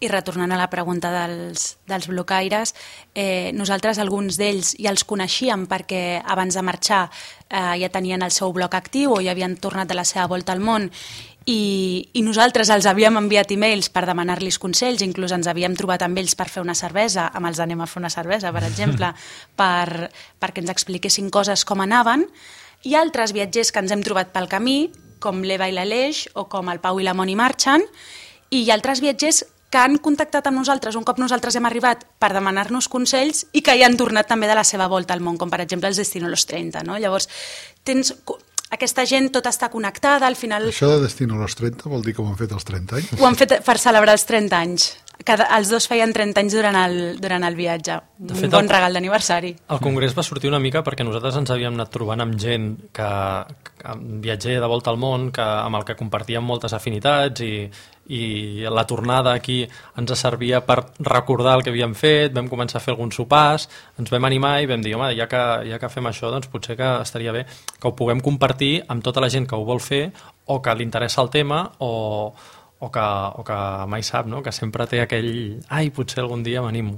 [SPEAKER 3] I retornant a la pregunta dels, dels blocaires, eh, nosaltres alguns d'ells ja els coneixíem perquè abans de marxar eh, ja tenien el seu bloc actiu o ja havien tornat de la seva volta al món i, i nosaltres els havíem enviat e-mails per demanar-los consells, inclús ens havíem trobat amb ells per fer una cervesa, amb els anem a fer una cervesa, per exemple, per, perquè ens expliquessin coses com anaven, i altres viatgers que ens hem trobat pel camí com l'Eva i l'Aleix, o com el Pau i la Moni marxen, i hi ha altres viatgers que han contactat amb nosaltres un cop nosaltres hem arribat per demanar-nos consells i que hi han tornat també de la seva volta al món, com per exemple els Destino los trenta. No? Llavors, tens... aquesta gent tot està connectada, al final...
[SPEAKER 4] Això de Destino los trenta vol dir que ho han fet als trenta anys?
[SPEAKER 3] Ho han fet per celebrar els trenta anys. Cada, els dos feien trenta anys durant el, durant el viatge. De fet, un bon el, regal d'aniversari.
[SPEAKER 6] El congrés va sortir una mica perquè nosaltres ens havíem anat trobant amb gent que, que viatger de volta al món, que, amb el que compartíem moltes afinitats i, i la tornada aquí ens servia per recordar el que havíem fet, vam començar a fer alguns sopars, ens vam animar i vam dir, home, ja que, ja que fem això, doncs potser que estaria bé que ho puguem compartir amb tota la gent que ho vol fer o que li interessa el tema o... O que, o que mai sap, no? Que sempre té aquell... Ai, potser algun dia m'animo.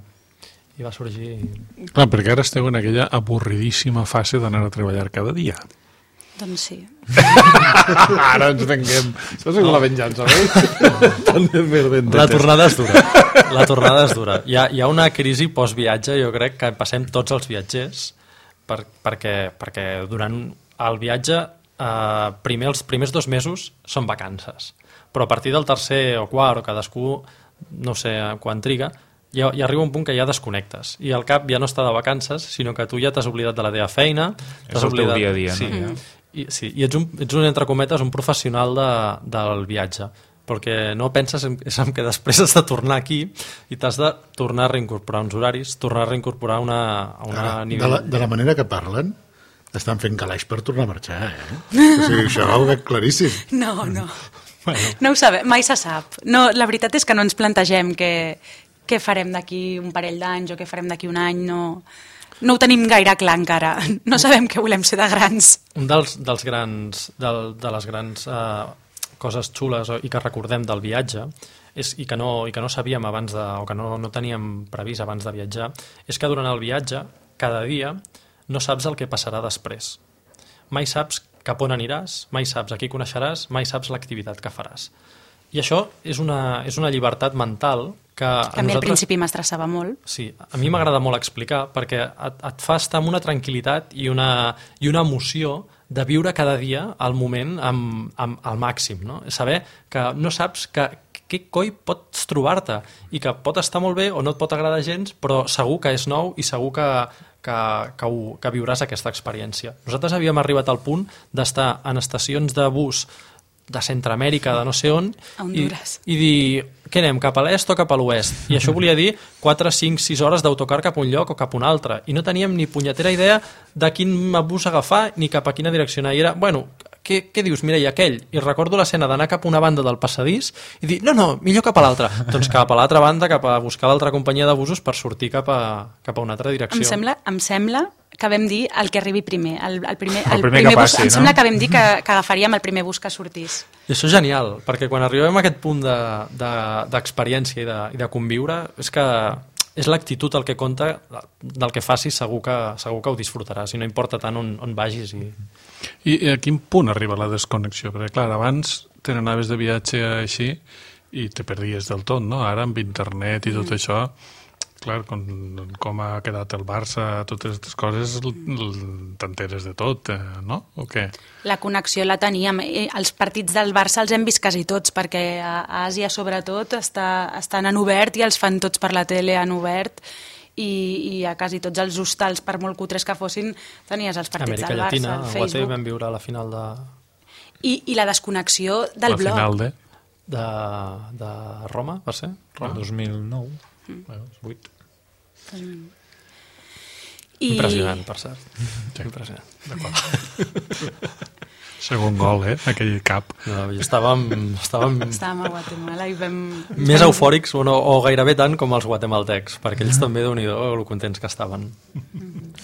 [SPEAKER 6] I va sorgir...
[SPEAKER 2] Clar, perquè ara esteu en aquella avorridíssima fase d'anar a treballar cada dia.
[SPEAKER 3] Doncs sí.
[SPEAKER 2] Ara ens venguem. Això és no. La venjança, veus?
[SPEAKER 6] La tornada és dura. La tornada és dura. Hi ha, hi ha una crisi post-viatge, jo crec que passem tots els viatgers, per, perquè, perquè durant el viatge, eh, primer, els primers dos mesos són vacances. Però a partir del tercer o quart, o cadascú, no sé quan triga, ja, ja arriba un punt que ja desconnectes. I al cap ja no està de vacances, sinó que tu ja t'has oblidat de la teva feina.
[SPEAKER 5] És el
[SPEAKER 6] oblidat...
[SPEAKER 5] teu dia a dia,
[SPEAKER 6] sí.
[SPEAKER 5] no?
[SPEAKER 6] Mm. I, sí, i ets un, ets un, entre cometes, un professional de, del viatge, perquè no penses en, és en que després has de tornar aquí i t'has de tornar a reincorporar uns horaris, tornar a reincorporar una, a una
[SPEAKER 4] ah,
[SPEAKER 6] nivell...
[SPEAKER 4] De la, de la manera que parlen, estan fent calaix per tornar a marxar, eh? O sigui, això ho veig claríssim.
[SPEAKER 3] No, no. Bueno. No ho sabem, mai se sap. No, la veritat és que no ens plantegem què, què farem d'aquí un parell d'anys o què farem d'aquí un any, no, no ho tenim gaire clar encara. No sabem què volem ser de grans.
[SPEAKER 6] Un dels, dels grans, del, de les grans eh, coses xules i que recordem del viatge és, i, que no, i que no sabíem abans de, o que no, no teníem previst abans de viatjar, és que durant el viatge, cada dia, no saps el que passarà després. Mai saps cap on aniràs, mai saps a qui coneixeràs, mai saps l'activitat que faràs. I això és una, és una llibertat mental que...
[SPEAKER 3] També nosaltres... al principi m'estressava molt.
[SPEAKER 6] Sí, a mi m'agrada molt explicar perquè et, et fa estar amb una tranquil·litat i una, i una emoció de viure cada dia al moment amb, amb, al màxim. No? Saber que no saps que, què coi pots trobar-te i que pot estar molt bé o no et pot agradar gens, però segur que és nou i segur que... Que, que, ho, que viuràs aquesta experiència. Nosaltres havíem arribat al punt d'estar en estacions de bus de Centroamèrica, de no sé on, i, i dir, què anem, cap a l'est o cap a l'oest? I això volia dir quatre, cinc, sis hores d'autocar cap a un lloc o cap a un altre. I no teníem ni punyetera idea de quin bus agafar ni cap a quina direcció anar. I era, bueno, què, què dius, Mireia, aquell? I recordo l'escena d'anar cap a una banda del passadís i dir, no, no, millor cap a l'altra. Doncs cap a l'altra banda, cap a buscar l'altra companyia de busos per sortir cap a, cap a una altra direcció.
[SPEAKER 3] Em sembla, em sembla que vam dir el que arribi primer. El, el primer,
[SPEAKER 5] el
[SPEAKER 3] el
[SPEAKER 5] primer,
[SPEAKER 3] primer
[SPEAKER 5] que passi,
[SPEAKER 3] bus,
[SPEAKER 5] no?
[SPEAKER 3] Em sembla que vam dir que, que agafaríem el primer bus que sortís.
[SPEAKER 6] I això és genial, perquè quan arribem a aquest punt d'experiència de, de, i, de, i de conviure, és que és l'actitud el que compta, del que facis segur que, segur que ho disfrutaràs i no importa tant on, on vagis. I...
[SPEAKER 2] I a quin punt arriba la desconnexió? Perquè clar, abans te n'anaves de viatge així i te perdies del tot, no? Ara amb internet i tot mm. això, clar, com, com ha quedat el Barça, totes aquestes coses, t'enteres de tot, eh, no? O què?
[SPEAKER 3] La connexió la teníem. Els partits del Barça els hem vist quasi tots, perquè a Àsia, sobretot, està, estan en obert i els fan tots per la tele en obert, i, i a quasi tots els hostals, per molt cutres que fossin, tenies els partits
[SPEAKER 6] Amèrica
[SPEAKER 3] del Barça,
[SPEAKER 6] Llatina,
[SPEAKER 3] el
[SPEAKER 6] Facebook.
[SPEAKER 3] Facebook.
[SPEAKER 6] A Guaté vam viure la final de...
[SPEAKER 3] I, i la desconnexió del
[SPEAKER 2] la
[SPEAKER 3] blog.
[SPEAKER 2] Final de...
[SPEAKER 6] De, de Roma, va ser?
[SPEAKER 5] Roma. El dos mil nou.
[SPEAKER 3] Mm.
[SPEAKER 5] vuit.
[SPEAKER 3] Mm.
[SPEAKER 6] I... Impressionant, per cert. Sí. Impressionant.
[SPEAKER 2] D'acord. Segon gol, eh? Aquell cap.
[SPEAKER 6] No, estàvem, estàvem...
[SPEAKER 3] estàvem a Guatemala i vam...
[SPEAKER 6] Més eufòrics, o, no, o gairebé tant com els guatemaltecs, perquè ells també, déu-n'hi-do, lo contents que estaven.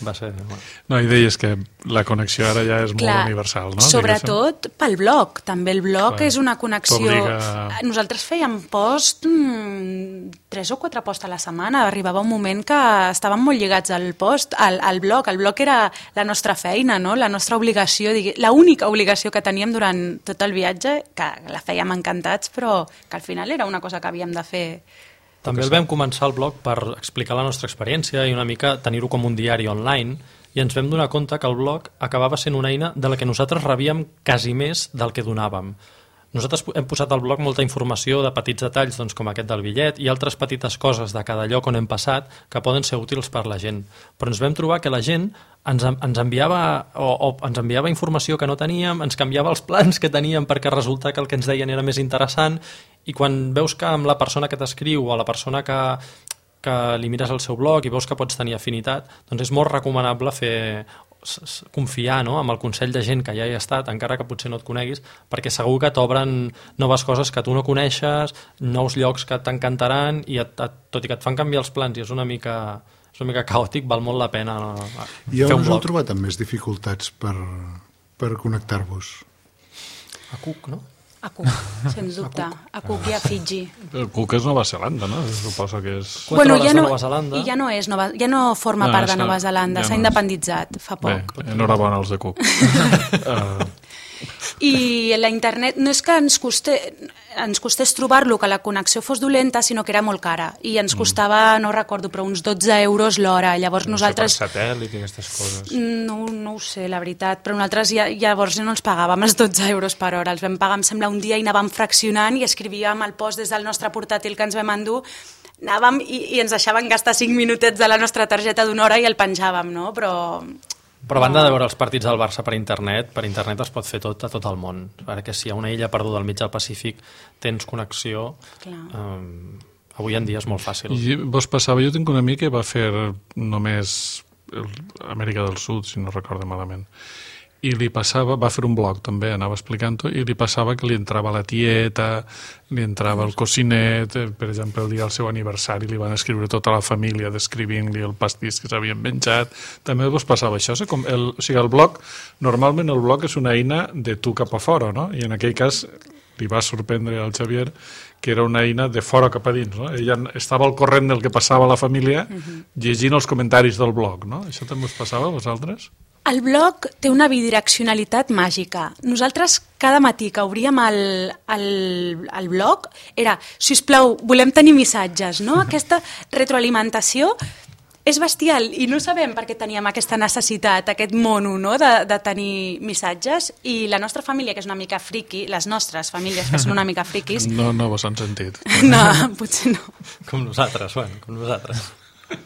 [SPEAKER 6] Va ser... Bueno.
[SPEAKER 2] No, i deies que la connexió ara ja és
[SPEAKER 3] Clar,
[SPEAKER 2] molt universal, no?
[SPEAKER 3] Sobretot
[SPEAKER 2] Diguéssim.
[SPEAKER 3] pel blog. També el blog Clar, és una connexió...
[SPEAKER 2] t'obliga...
[SPEAKER 3] Nosaltres fèiem post, mmm, tres o quatre posts a la setmana. Arribava un moment que estàvem molt lligats al post, al, al blog. El blog era la nostra feina, no? La nostra obligació, la única obligació que teníem durant tot el viatge, que la fèiem encantats, però que al final era una cosa que havíem de fer.
[SPEAKER 6] També el vam començar el blog per explicar la nostra experiència i una mica tenir-ho com un diari online i ens vam donar compte que el blog acabava sent una eina de la que nosaltres rebíem quasi més del que donàvem. Nosaltres hem posat al blog molta informació de petits detalls, doncs, com aquest del bitllet, i altres petites coses de cada lloc on hem passat que poden ser útils per la gent. Però ens vam trobar que la gent ens, ens, enviava, o, o ens enviava informació que no teníem, ens canviava els plans que teníem perquè resulta que el que ens deien era més interessant, i quan veus que amb la persona que t'escriu o la persona que, que li mires el seu blog i veus que pots tenir afinitat, doncs és molt recomanable fer... confiar, no?, amb el consell de gent que ja hi ha estat, encara que potser no et coneguis, perquè segur que t'obren noves coses que tu no coneixes, nous llocs que t'encantaran i et, et, tot i que et fan canviar els plans i és una mica, és una mica caòtic, val molt la pena
[SPEAKER 4] I
[SPEAKER 6] fer un
[SPEAKER 4] on us
[SPEAKER 6] blog.
[SPEAKER 4] heu trobat amb més dificultats per, per connectar-vos?
[SPEAKER 6] A Cook, no?
[SPEAKER 3] A Cook, sens dubte. A Cook i a Fiji.
[SPEAKER 2] El Cook és Nova Zelanda, no? Suposo que és...
[SPEAKER 6] Quatre hores
[SPEAKER 3] ja
[SPEAKER 6] de
[SPEAKER 3] no,
[SPEAKER 6] Nova Zelanda.
[SPEAKER 3] I ja no, és Nova, ja no forma
[SPEAKER 2] No,
[SPEAKER 3] part
[SPEAKER 2] és
[SPEAKER 3] de
[SPEAKER 2] que
[SPEAKER 3] Nova Zelanda,
[SPEAKER 2] ja
[SPEAKER 3] s'ha
[SPEAKER 2] no és.
[SPEAKER 3] independitzat fa poc.
[SPEAKER 2] Bé, enhorabona als de Cook. uh,
[SPEAKER 3] I la internet no és que ens, coste, ens costés trobar-lo, que la connexió fos dolenta, sinó que era molt cara. I ens costava, no recordo, però uns dotze euros l'hora. Llavors
[SPEAKER 5] No
[SPEAKER 3] nosaltres...
[SPEAKER 5] sé, per satèl·lit i aquestes coses.
[SPEAKER 3] No, no ho sé, la veritat, però nosaltres ja, llavors ja no els pagàvem els dotze euros per hora, els vam pagar, em sembla, un dia i anàvem fraccionant i escrivíem el post des del nostre portàtil que ens vam endur, anàvem i, i ens deixaven gastar cinc minutets de la nostra targeta d'una hora i el penjàvem, no? Però...
[SPEAKER 6] Però a banda de veure els partits del Barça per internet, per internet es pot fer tot a tot el món, perquè si a una illa perduda al mig del Pacífic tens connexió, eh, avui en dia és molt fàcil.
[SPEAKER 2] I vos passava, jo tinc un amic que va fer només el, Amèrica del Sud, si no recordo malament, i li passava, va fer un blog també, anava explicant-ho, i li passava que li entrava la tieta, li entrava el cocinet, per exemple, el dia del seu aniversari li van escriure tota la família descrivint-li el pastís que s'havien menjat. També vos passava això, com el, o sigui, el blog, normalment el blog és una eina de tu cap a fora, no? I en aquell cas li va sorprendre al Xavier que era una eina de fora cap a dins, no? Ella estava al corrent del que passava a la família llegint els comentaris del blog, no? Això també us passava a vosaltres?
[SPEAKER 3] El blog té una bidireccionalitat màgica. Nosaltres cada matí que obríem el, el, el blog era, sisplau, volem tenir missatges, no? Aquesta retroalimentació és bestial i no sabem per què teníem aquesta necessitat, aquest mono, no?, de, de tenir missatges, i la nostra família, que és una mica friqui, les nostres famílies que són una mica friquis...
[SPEAKER 2] No, no vos han sentit.
[SPEAKER 3] No, potser no.
[SPEAKER 6] Com nosaltres, bueno, com nosaltres.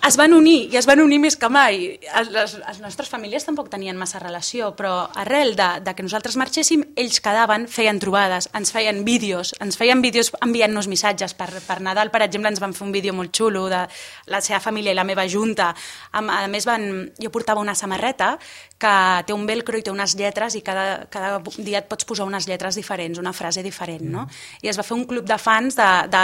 [SPEAKER 3] Es van unir, i es van unir més que mai. Les, les nostres famílies tampoc tenien massa relació, però arrel de, de que nosaltres marxéssim, ells quedaven, feien trobades, ens feien vídeos, ens feien vídeos enviant-nos missatges. Per, per Nadal, per exemple, ens van fer un vídeo molt xulo de la seva família i la meva junta. A, a més, van, jo portava una samarreta que té un velcro i té unes lletres, i cada, cada dia et pots posar unes lletres diferents, una frase diferent, no? I es va fer un club de fans dels de,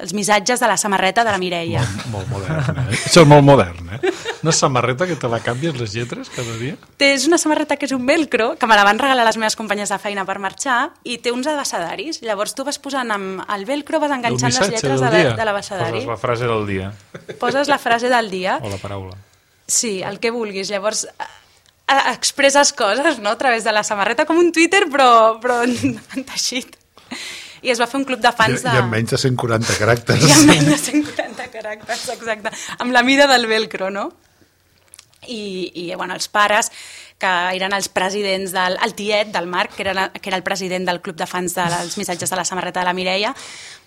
[SPEAKER 3] de, missatges de la samarreta de la Mireia.
[SPEAKER 2] Molt, molt modern, eh? Això és molt modern, eh? Una samarreta que te la canvies les lletres cada dia?
[SPEAKER 3] És una samarreta que és un velcro, que me la van regalar les meves companyes de feina per marxar, i té uns abecedaris. Llavors tu vas posant amb el velcro, vas enganxant les lletres de, la, de l'abecedari.
[SPEAKER 5] Poses la frase del dia.
[SPEAKER 3] Poses la frase del dia.
[SPEAKER 5] O la paraula.
[SPEAKER 3] Sí, el que vulguis. Llavors expresses coses, no?, a través de la samarreta, com un Twitter, però, però en teixit. I es va fer un club de fans de...
[SPEAKER 4] I amb menys de cent quaranta caràcters.
[SPEAKER 3] I amb menys de cent quaranta caràcters, exacte. Amb la mida del velcro, no? I, i bueno, els pares, que eren els presidents del el tiet del Marc, que era, que era el president del club de fans dels missatges de la samarreta de la Mireia,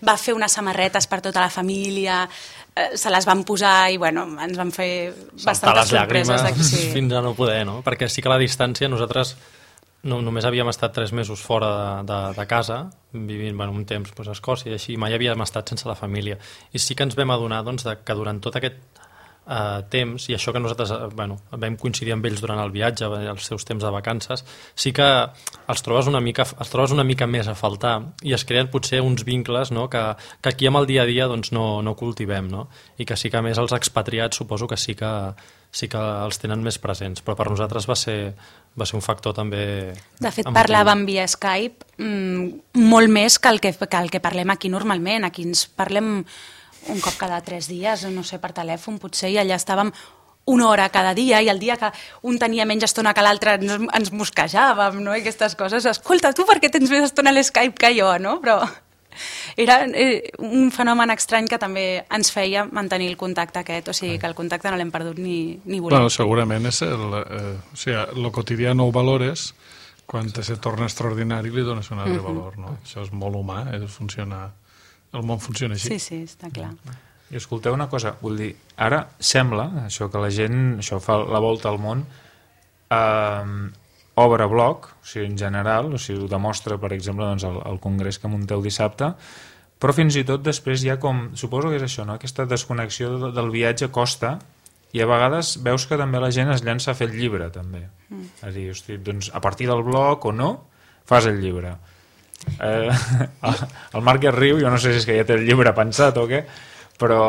[SPEAKER 3] va fer unes samarretes per tota la família, eh, se les van posar i bueno, ens van fer bastantes sorpreses.
[SPEAKER 6] Llàgrimes
[SPEAKER 3] sí.
[SPEAKER 6] fins a no poder, no? Perquè sí que a la distància nosaltres no, només havíem estat tres mesos fora de, de, de casa, vivint bueno, un temps pues, a Escòcia i així, mai havíem estat sense la família. I sí que ens vam adonar doncs, de, que durant tot aquest Uh, temps, i això que nosaltres uh, bueno, vam coincidir amb ells durant el viatge, els seus temps de vacances, sí que els trobes una mica, els trobes una mica més a faltar i es creen potser uns vincles, no? que, que aquí amb el dia a dia doncs, no, no cultivem, no? I que sí que a més els expatriats suposo que sí que, sí que els tenen més presents, però per nosaltres va ser, va ser un factor també...
[SPEAKER 3] De fet,
[SPEAKER 6] emotiu.
[SPEAKER 3] parlàvem via Skype mmm, molt més que el que, que el que parlem aquí normalment. Aquí ens parlem un cop cada tres dies, no sé, per telèfon potser, i allà estàvem una hora cada dia, i el dia que un tenia menys estona que l'altre ens, ens mosquejàvem, no?, i aquestes coses. Escolta, tu per què tens més estona a l'Skype que jo, no? Però... Era eh, un fenomen estrany que també ens feia mantenir el contacte aquest, o sigui que el contacte no l'hem perdut ni, ni volem.
[SPEAKER 2] Bueno, segurament és el, eh, o sigui, el quotidià no ho valores, quan se torna extraordinari li dones un altre uh-huh. valor, no? Això és molt humà, eh? Funciona, el món funciona així.
[SPEAKER 3] Sí, sí, està clar.
[SPEAKER 5] I escolteu una cosa, vull dir, ara sembla, això que la gent, això fa la volta al món, eh, obre blog, o sigui, en general, o sigui, ho demostra, per exemple, doncs, el, el congrés que munteu dissabte, però fins i tot després hi ha com, suposo que és això, no? Aquesta desconnexió de, del viatge costa, i a vegades veus que també la gent es llença a fer el llibre, també. Mm. És a dir, hosti, doncs, a partir del blog o no, fas el llibre. Eh, el, el Marc ja riu, jo no sé si és que ja té el llibre pensat o què, però,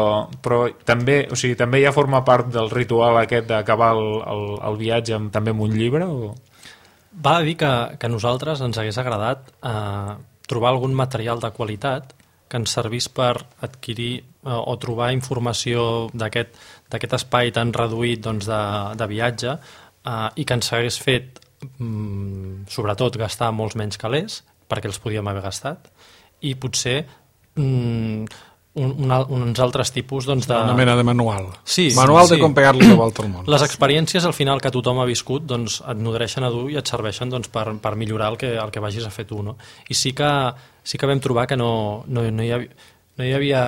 [SPEAKER 5] però també, o sigui, també ja forma part del ritual aquest d'acabar el, el, el viatge amb, també amb un llibre o...
[SPEAKER 6] Val a dir que, que a nosaltres ens hagués agradat eh, trobar algun material de qualitat que ens servís per adquirir eh, o trobar informació d'aquest d'aquest espai tan reduït doncs, de, de viatge eh, i que ens hagués fet, mm, sobretot, gastar molts menys calés, perquè els podíem haver gastat, i potser mm, un, un, uns altres tipus doncs, de...
[SPEAKER 2] Una mena de manual.
[SPEAKER 6] Sí,
[SPEAKER 2] manual
[SPEAKER 6] sí.
[SPEAKER 2] de com pegar-li la volta al món.
[SPEAKER 6] Les experiències al final que tothom ha viscut doncs, et nodreixen a dur i et serveixen doncs, per, per millorar el que, el que vagis a fer tu. No? I sí que, sí que vam trobar que no, no, no, hi havia, no hi havia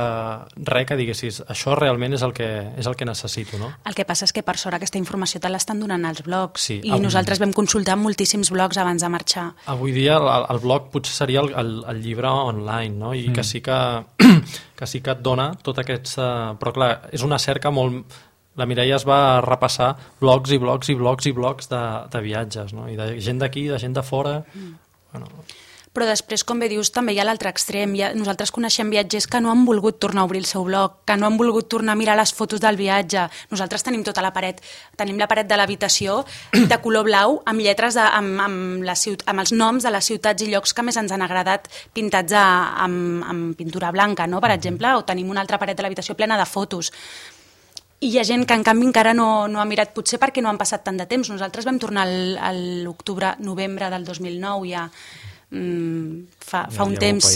[SPEAKER 6] res que diguessis això realment és el que, és el que necessito. No?
[SPEAKER 3] El que passa és que per sort aquesta informació te l'estan donant als blogs
[SPEAKER 6] sí,
[SPEAKER 3] i
[SPEAKER 6] avui...
[SPEAKER 3] nosaltres vam consultar moltíssims blogs abans de marxar.
[SPEAKER 6] Avui dia el, el blog potser seria el, el, el llibre online, no? I mm. que, sí que, que sí que et dona tot aquest... Però clar, és una cerca molt... La Mireia es va repassar blogs i blogs i blogs i blogs de, de viatges, no? I de gent d'aquí, de gent de fora... Mm. Bueno...
[SPEAKER 3] Però després, com bé dius, també hi ha l'altre extrem. Ha, nosaltres coneixem viatgers que no han volgut tornar a obrir el seu blog, que no han volgut tornar a mirar les fotos del viatge. Nosaltres tenim tota la paret, tenim la paret de l'habitació de color blau amb lletres, de, amb, amb, la ciut, amb els noms de les ciutats i llocs que més ens han agradat pintats a, amb, amb pintura blanca, no? Per exemple, o tenim una altra paret de l'habitació plena de fotos. I hi ha gent que en canvi encara no, no ha mirat, potser perquè no han passat tant de temps. Nosaltres vam tornar a l'octubre, novembre del dos mil nou ja, mm, fa, fa ja, un ja temps.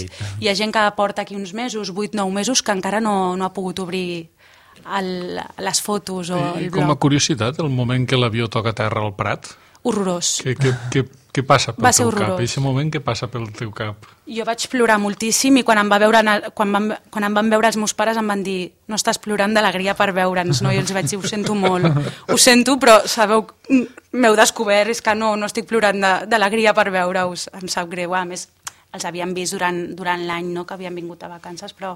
[SPEAKER 3] Hi ha gent que porta aquí uns mesos, vuit nou mesos, que encara no, no ha pogut obrir el, les fotos o el
[SPEAKER 2] I
[SPEAKER 3] blog.
[SPEAKER 2] Com a curiositat, el moment que l'avió toca terra al Prat,
[SPEAKER 3] horrorós.
[SPEAKER 2] Què, què, què, què passa pel
[SPEAKER 3] Va ser
[SPEAKER 2] teu
[SPEAKER 3] horrorós.
[SPEAKER 2] cap? Aquest moment què passa pel teu cap?
[SPEAKER 3] Jo vaig plorar moltíssim i quan em, va veure, quan, van, quan em van veure els meus pares em van dir no estàs plorant d'alegria per veure'ns, no? I els vaig dir, ho sento molt, ho sento, però sabeu, m'heu descobert, és que no, no estic plorant d'alegria per veure-us, em sap greu. A més, els havíem vist durant, durant l'any, no?, que havien vingut a vacances, però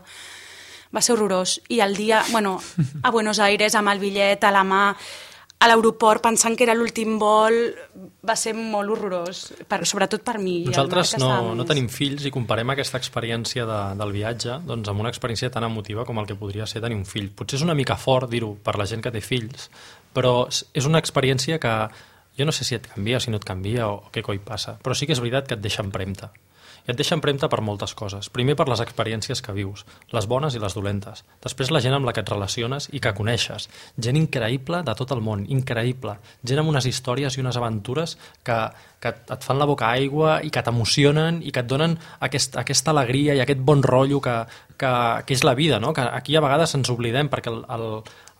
[SPEAKER 3] va ser horrorós. I el dia, bueno, a Buenos Aires, amb el bitllet a la mà, a l'aeroport, pensant que era l'últim vol, va ser molt horrorós, per, sobretot per mi.
[SPEAKER 6] Nosaltres no, no tenim fills i comparem aquesta experiència de, del viatge doncs, amb una experiència tan emotiva com el que podria ser tenir un fill. Potser és una mica fort dir-ho per la gent que té fills, però és una experiència que jo no sé si et canvia, si no et canvia o què coi passa, però sí que és veritat que et deixa empremta. I et deixa empremta per moltes coses. Primer per les experiències que vius, les bones i les dolentes. Després la gent amb la que et relaciones i que coneixes. Gent increïble de tot el món, increïble. Gent amb unes històries i unes aventures que, que et fan la boca aigua i que t'emocionen i que et donen aquest, aquesta alegria i aquest bon rotllo que, que, que és la vida, no? Que aquí a vegades ens oblidem perquè el, el,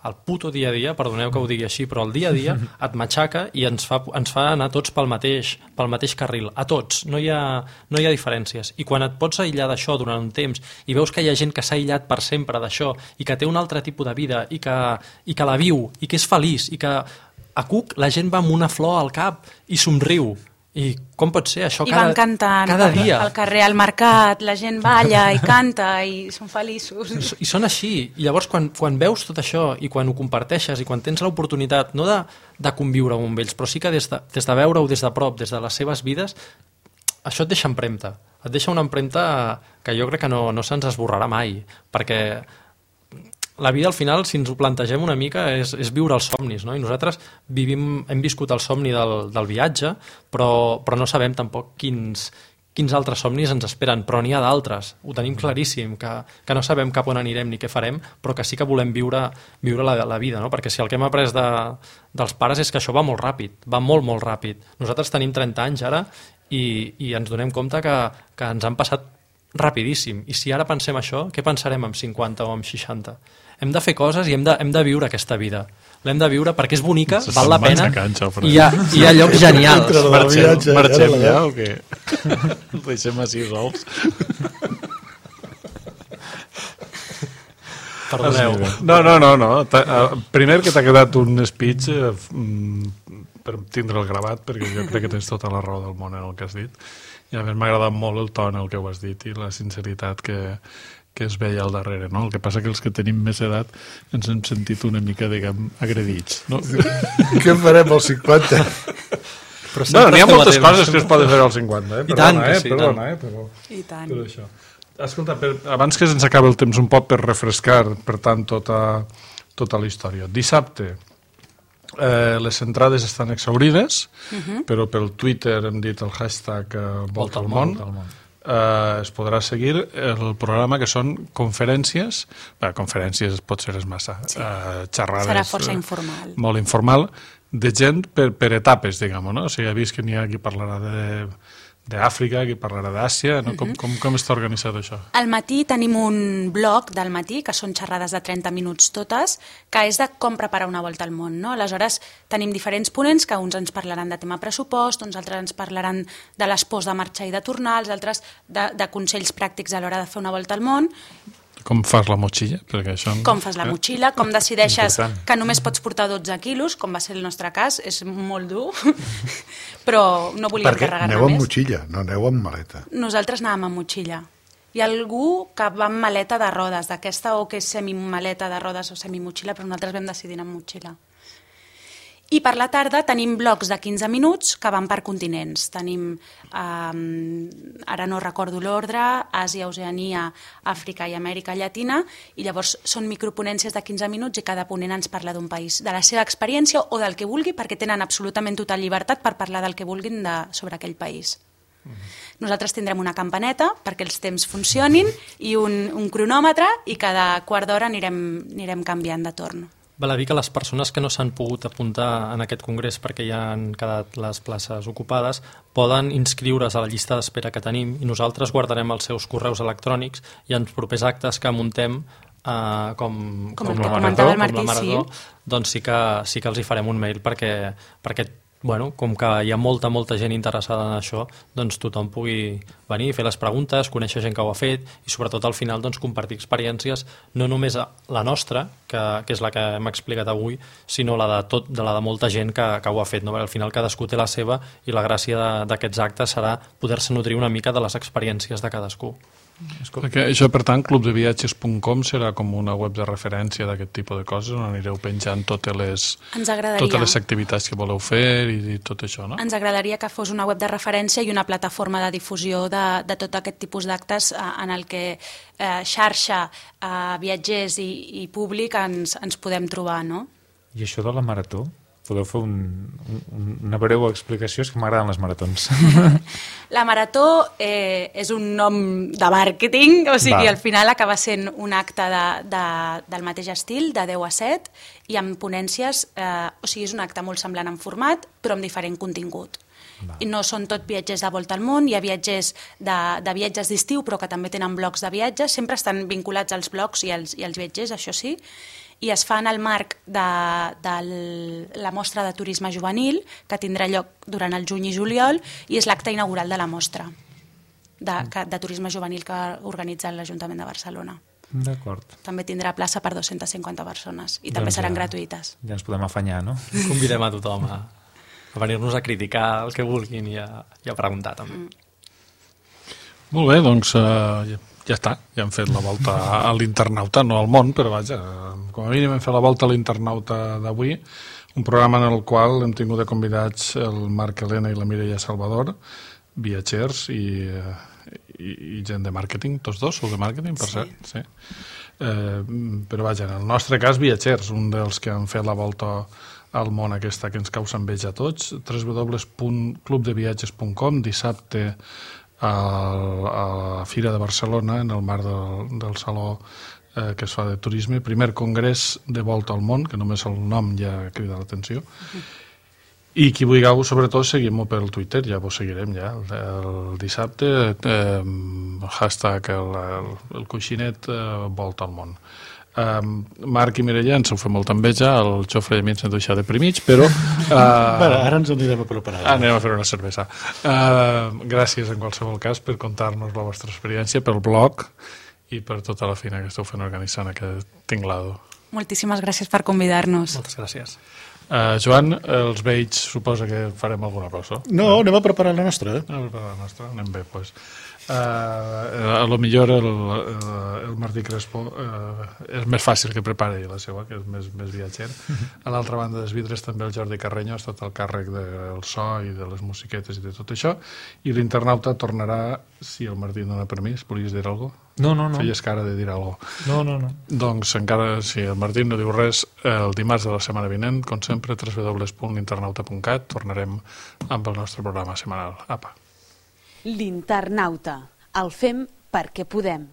[SPEAKER 6] el puto dia a dia, perdoneu que ho digui així, però el dia a dia et matxaca i ens fa, ens fa anar tots pel mateix, pel mateix carril, a tots, no hi ha, no hi ha diferències. I quan et pots aïllar d'això durant un temps i veus que hi ha gent que s'ha aïllat per sempre d'això i que té un altre tipus de vida i que, i que la viu i que és feliç i que a Cook la gent va amb una flor al cap i somriu. I com pot ser això?
[SPEAKER 3] I
[SPEAKER 6] cada,
[SPEAKER 3] van cantant
[SPEAKER 6] cada dia.
[SPEAKER 3] Al carrer, al mercat, la gent balla i canta i són feliços.
[SPEAKER 6] I són així. I llavors quan, quan veus tot això i quan ho comparteixes i quan tens l'oportunitat, no de, de conviure amb ells, però sí que des de, des de veure-ho des de prop, des de les seves vides, això et deixa empremta. Et deixa una empremta que jo crec que no, no se'ns esborrarà mai, perquè la vida al final, si ens ho plantegem una mica, és, és viure els somnis, no? I nosaltres vivim, hem viscut el somni del, del viatge, però, però no sabem tampoc quins, quins altres somnis ens esperen, però n'hi ha d'altres, ho tenim claríssim, que, que no sabem cap on anirem ni què farem, però que sí que volem viure, viure la, la vida, no? Perquè si el que hem après de, dels pares és que això va molt ràpid, va molt, molt ràpid. Nosaltres tenim trenta anys ara i, i ens donem compte que, que ens han passat rapidíssim. I si ara pensem això, què pensarem amb cinquanta o amb seixanta? Hem de fer coses i hem de, hem de viure aquesta vida. L'hem de viure perquè és bonica,
[SPEAKER 2] Se
[SPEAKER 6] val la
[SPEAKER 2] se'n van
[SPEAKER 6] pena,
[SPEAKER 2] canxa,
[SPEAKER 6] i hi ha, hi ha llocs genials.
[SPEAKER 2] Marxem, marxem ja o què? Deixem així sols.
[SPEAKER 6] Perdoneu.
[SPEAKER 2] No, no, no, no. Primer que t'ha quedat un speech eh, per tindre el gravat, perquè jo crec que tens tota la raó del món en el que has dit. I a més m'ha agradat molt el to en el que ho has dit i la sinceritat que, que es veia al darrere, no? El que passa que els que tenim més edat ens hem sentit una mica, diguem, agredits, no?
[SPEAKER 4] Què farem als cinquanta?
[SPEAKER 6] Però
[SPEAKER 2] No, n'hi ha moltes coses que es poden fer als cinquanta, eh?
[SPEAKER 6] I tant,
[SPEAKER 2] Perdona,
[SPEAKER 6] que
[SPEAKER 2] eh?
[SPEAKER 6] sí,
[SPEAKER 2] Perdona, eh? Però,
[SPEAKER 3] I tant.
[SPEAKER 2] però això. Escolta, per, abans que se'ns acabi el temps un poc per refrescar, per tant, tota, tota la història. Dissabte, eh, les entrades estan exhaurides, uh-huh. però pel Twitter hem dit el hashtag eh, Volta al món, eh, es podrà seguir el programa que són conferències, bé, conferències pot ser és massa, sí. eh, xerrades...
[SPEAKER 3] Serà força informal.
[SPEAKER 2] Eh, molt informal, de gent per, per etapes, diguem, no? O sigui, he vist que n'hi ha qui parlarà de... d'Àfrica, qui parlarà d'Àsia, no? com, com, com està organitzat això?
[SPEAKER 3] Al matí tenim un blog del matí, que són xerrades de trenta minuts totes, que és de com preparar una volta al món. No? Aleshores, tenim diferents ponents, que uns ens parlaran de tema pressupost, uns altres ens parlaran de les pors de marxar i de tornar, els altres de, de consells pràctics a l'hora de fer una volta al món.
[SPEAKER 2] Com fas la motxilla? Perquè això...
[SPEAKER 3] Com fas la motxilla, com decideixes
[SPEAKER 5] Important.
[SPEAKER 3] que només pots portar dotze quilos, com va ser el nostre cas, és molt dur, però no volíem
[SPEAKER 4] Perquè
[SPEAKER 3] carregar-ne
[SPEAKER 4] aneu amb
[SPEAKER 3] més.
[SPEAKER 4] motxilla, no aneu amb maleta.
[SPEAKER 3] Nosaltres anàvem amb motxilla. Hi ha algú que va amb maleta de rodes, d'aquesta o que és semimaleta de rodes o semimotxilla, però nosaltres vam decidir anar amb motxilla. I per la tarda tenim blocs de quinze minuts que van per continents. Tenim, eh, ara no recordo l'ordre, Àsia, Oceania, Àfrica i Amèrica Llatina, i llavors són microponències de quinze minuts i cada ponent ens parla d'un país, de la seva experiència o del que vulgui, perquè tenen absolutament total llibertat per parlar del que vulguin de, sobre aquell país. Nosaltres tindrem una campaneta perquè els temps funcionin i un, un cronòmetre i cada quart d'hora anirem, anirem canviant de torn.
[SPEAKER 6] Val a dir que les persones que no s'han pogut apuntar en aquest congrés perquè ja han quedat les places ocupades poden inscriure's a la llista d'espera que tenim i nosaltres guardarem els seus correus electrònics i en propers actes que muntem Uh, com,
[SPEAKER 3] Com
[SPEAKER 6] com,
[SPEAKER 3] el
[SPEAKER 6] la
[SPEAKER 3] que
[SPEAKER 6] marató,
[SPEAKER 3] comentava el
[SPEAKER 6] com
[SPEAKER 3] Martí,
[SPEAKER 6] la marató,
[SPEAKER 3] sí.
[SPEAKER 6] doncs sí que, sí que els hi farem un mail perquè, perquè bueno, com que hi ha molta, molta gent interessada en això, doncs tothom pugui venir, fer les preguntes, conèixer gent que ho ha fet i sobretot al final doncs, compartir experiències, no només la nostra, que, que és la que hem explicat avui, sinó la de, tot, de la de molta gent que, que ho ha fet. No? Perquè al final cadascú té la seva i la gràcia d'aquests actes serà poder-se nodrir una mica de les experiències de cadascú.
[SPEAKER 2] Perquè això, per tant, club de viatges punt com serà com una web de referència d'aquest tipus de coses on anireu penjant totes les,
[SPEAKER 3] Ens agradaria.
[SPEAKER 2] totes les activitats que voleu fer i, i tot això, no?
[SPEAKER 3] Ens agradaria que fos una web de referència i una plataforma de difusió de, de tot aquest tipus d'actes eh, en el que eh, xarxa, eh, viatgers i, i públic ens, ens podem trobar, no?
[SPEAKER 5] I això de la marató? Podeu fer un, un, una breu explicació? És que m'agraden les maratons.
[SPEAKER 3] La marató eh, és un nom de màrqueting, o sigui,
[SPEAKER 5] Va.
[SPEAKER 3] al final acaba sent un acte de, de, del mateix estil, de deu a set, i amb ponències, eh, o sigui, és un acte molt semblant en format, però amb diferent contingut. Va. I no són tot viatgers de volta al món, hi ha viatgers de, de viatges d'estiu, però que també tenen blocs de viatges, sempre estan vinculats als blocs i als, i als viatgers, això sí, i es fa en el marc de, de la mostra de turisme juvenil, que tindrà lloc durant el juny i juliol, i és l'acte inaugural de la mostra de, de turisme juvenil que organitza l'Ajuntament de Barcelona.
[SPEAKER 5] D'acord.
[SPEAKER 3] També tindrà plaça per dues-centes cinquanta persones, i
[SPEAKER 5] Doncs
[SPEAKER 3] també seran
[SPEAKER 5] ja,
[SPEAKER 3] gratuïtes.
[SPEAKER 5] Ja ens podem afanyar, no?
[SPEAKER 6] Convidem a tothom a, a venir-nos a criticar el que vulguin i a, i a preguntar també.
[SPEAKER 3] Mm.
[SPEAKER 2] Molt bé, doncs eh, ja està, ja hem fet la volta a l'internauta, no al món, però vaja, com a mínim hem fet la volta a l'internauta d'avui, un programa en el qual hem tingut de convidats el Marc Helena i la Mireia Salvador, viatgers i, i, i gent de màrqueting, tots dos sou de màrqueting, per
[SPEAKER 3] Sí.
[SPEAKER 2] cert, sí. Eh, però vaja, en el nostre cas viatgers, un dels que han fet la volta al món aquesta que ens causa enveja a tots, w w w punt club de viatges punt com, dissabte a la Fira de Barcelona, en el marc del, del Saló eh, que es fa de turisme, primer congrés de volta al món, que només el nom ja crida l'atenció. I qui vulgueu, sobretot, seguim-ho pel Twitter, ja vos seguirem ja. El, el dissabte, eh, hashtag el, el, el coixinet eh, volta al món. Um, Marc i Mireia ens ho fem molta enveja, el Jofre i a mi ens hem deixat deprimits, però... Uh,
[SPEAKER 4] bueno, ara ens anirem a preparar.
[SPEAKER 2] Anem a fer una cervesa. Uh, gràcies, en qualsevol cas, per contar-nos la vostra experiència, pel blog i per tota la feina que esteu fent organitzant aquest tinglado.
[SPEAKER 3] Moltíssimes gràcies per convidar-nos.
[SPEAKER 6] Moltes gràcies.
[SPEAKER 2] Uh, Joan, els vells suposa que farem alguna cosa.
[SPEAKER 4] No, anem a preparar la nostra. Eh?
[SPEAKER 2] Anem a preparar la nostra, anem bé, doncs. Uh, a lo millor el, el, el Martí Crespo uh, és més fàcil que prepari la seva, que és més, més viatger. A l'altra banda dels vidres també el Jordi Carreño ha estat al càrrec del so i de les musiquetes i de tot això, i l'internauta tornarà, si el Martí dona permís. Volies dir alguna cosa?
[SPEAKER 5] No, no, no.
[SPEAKER 2] Feies cara de dir alguna cosa.
[SPEAKER 5] No, no, no.
[SPEAKER 2] Doncs encara, si el Martí no diu res, el dimarts de la setmana vinent, com sempre, w w w punt l'internauta punt cat, tornarem amb el nostre programa setmanal. Apa.
[SPEAKER 1] L'Internauta. El fem perquè podem.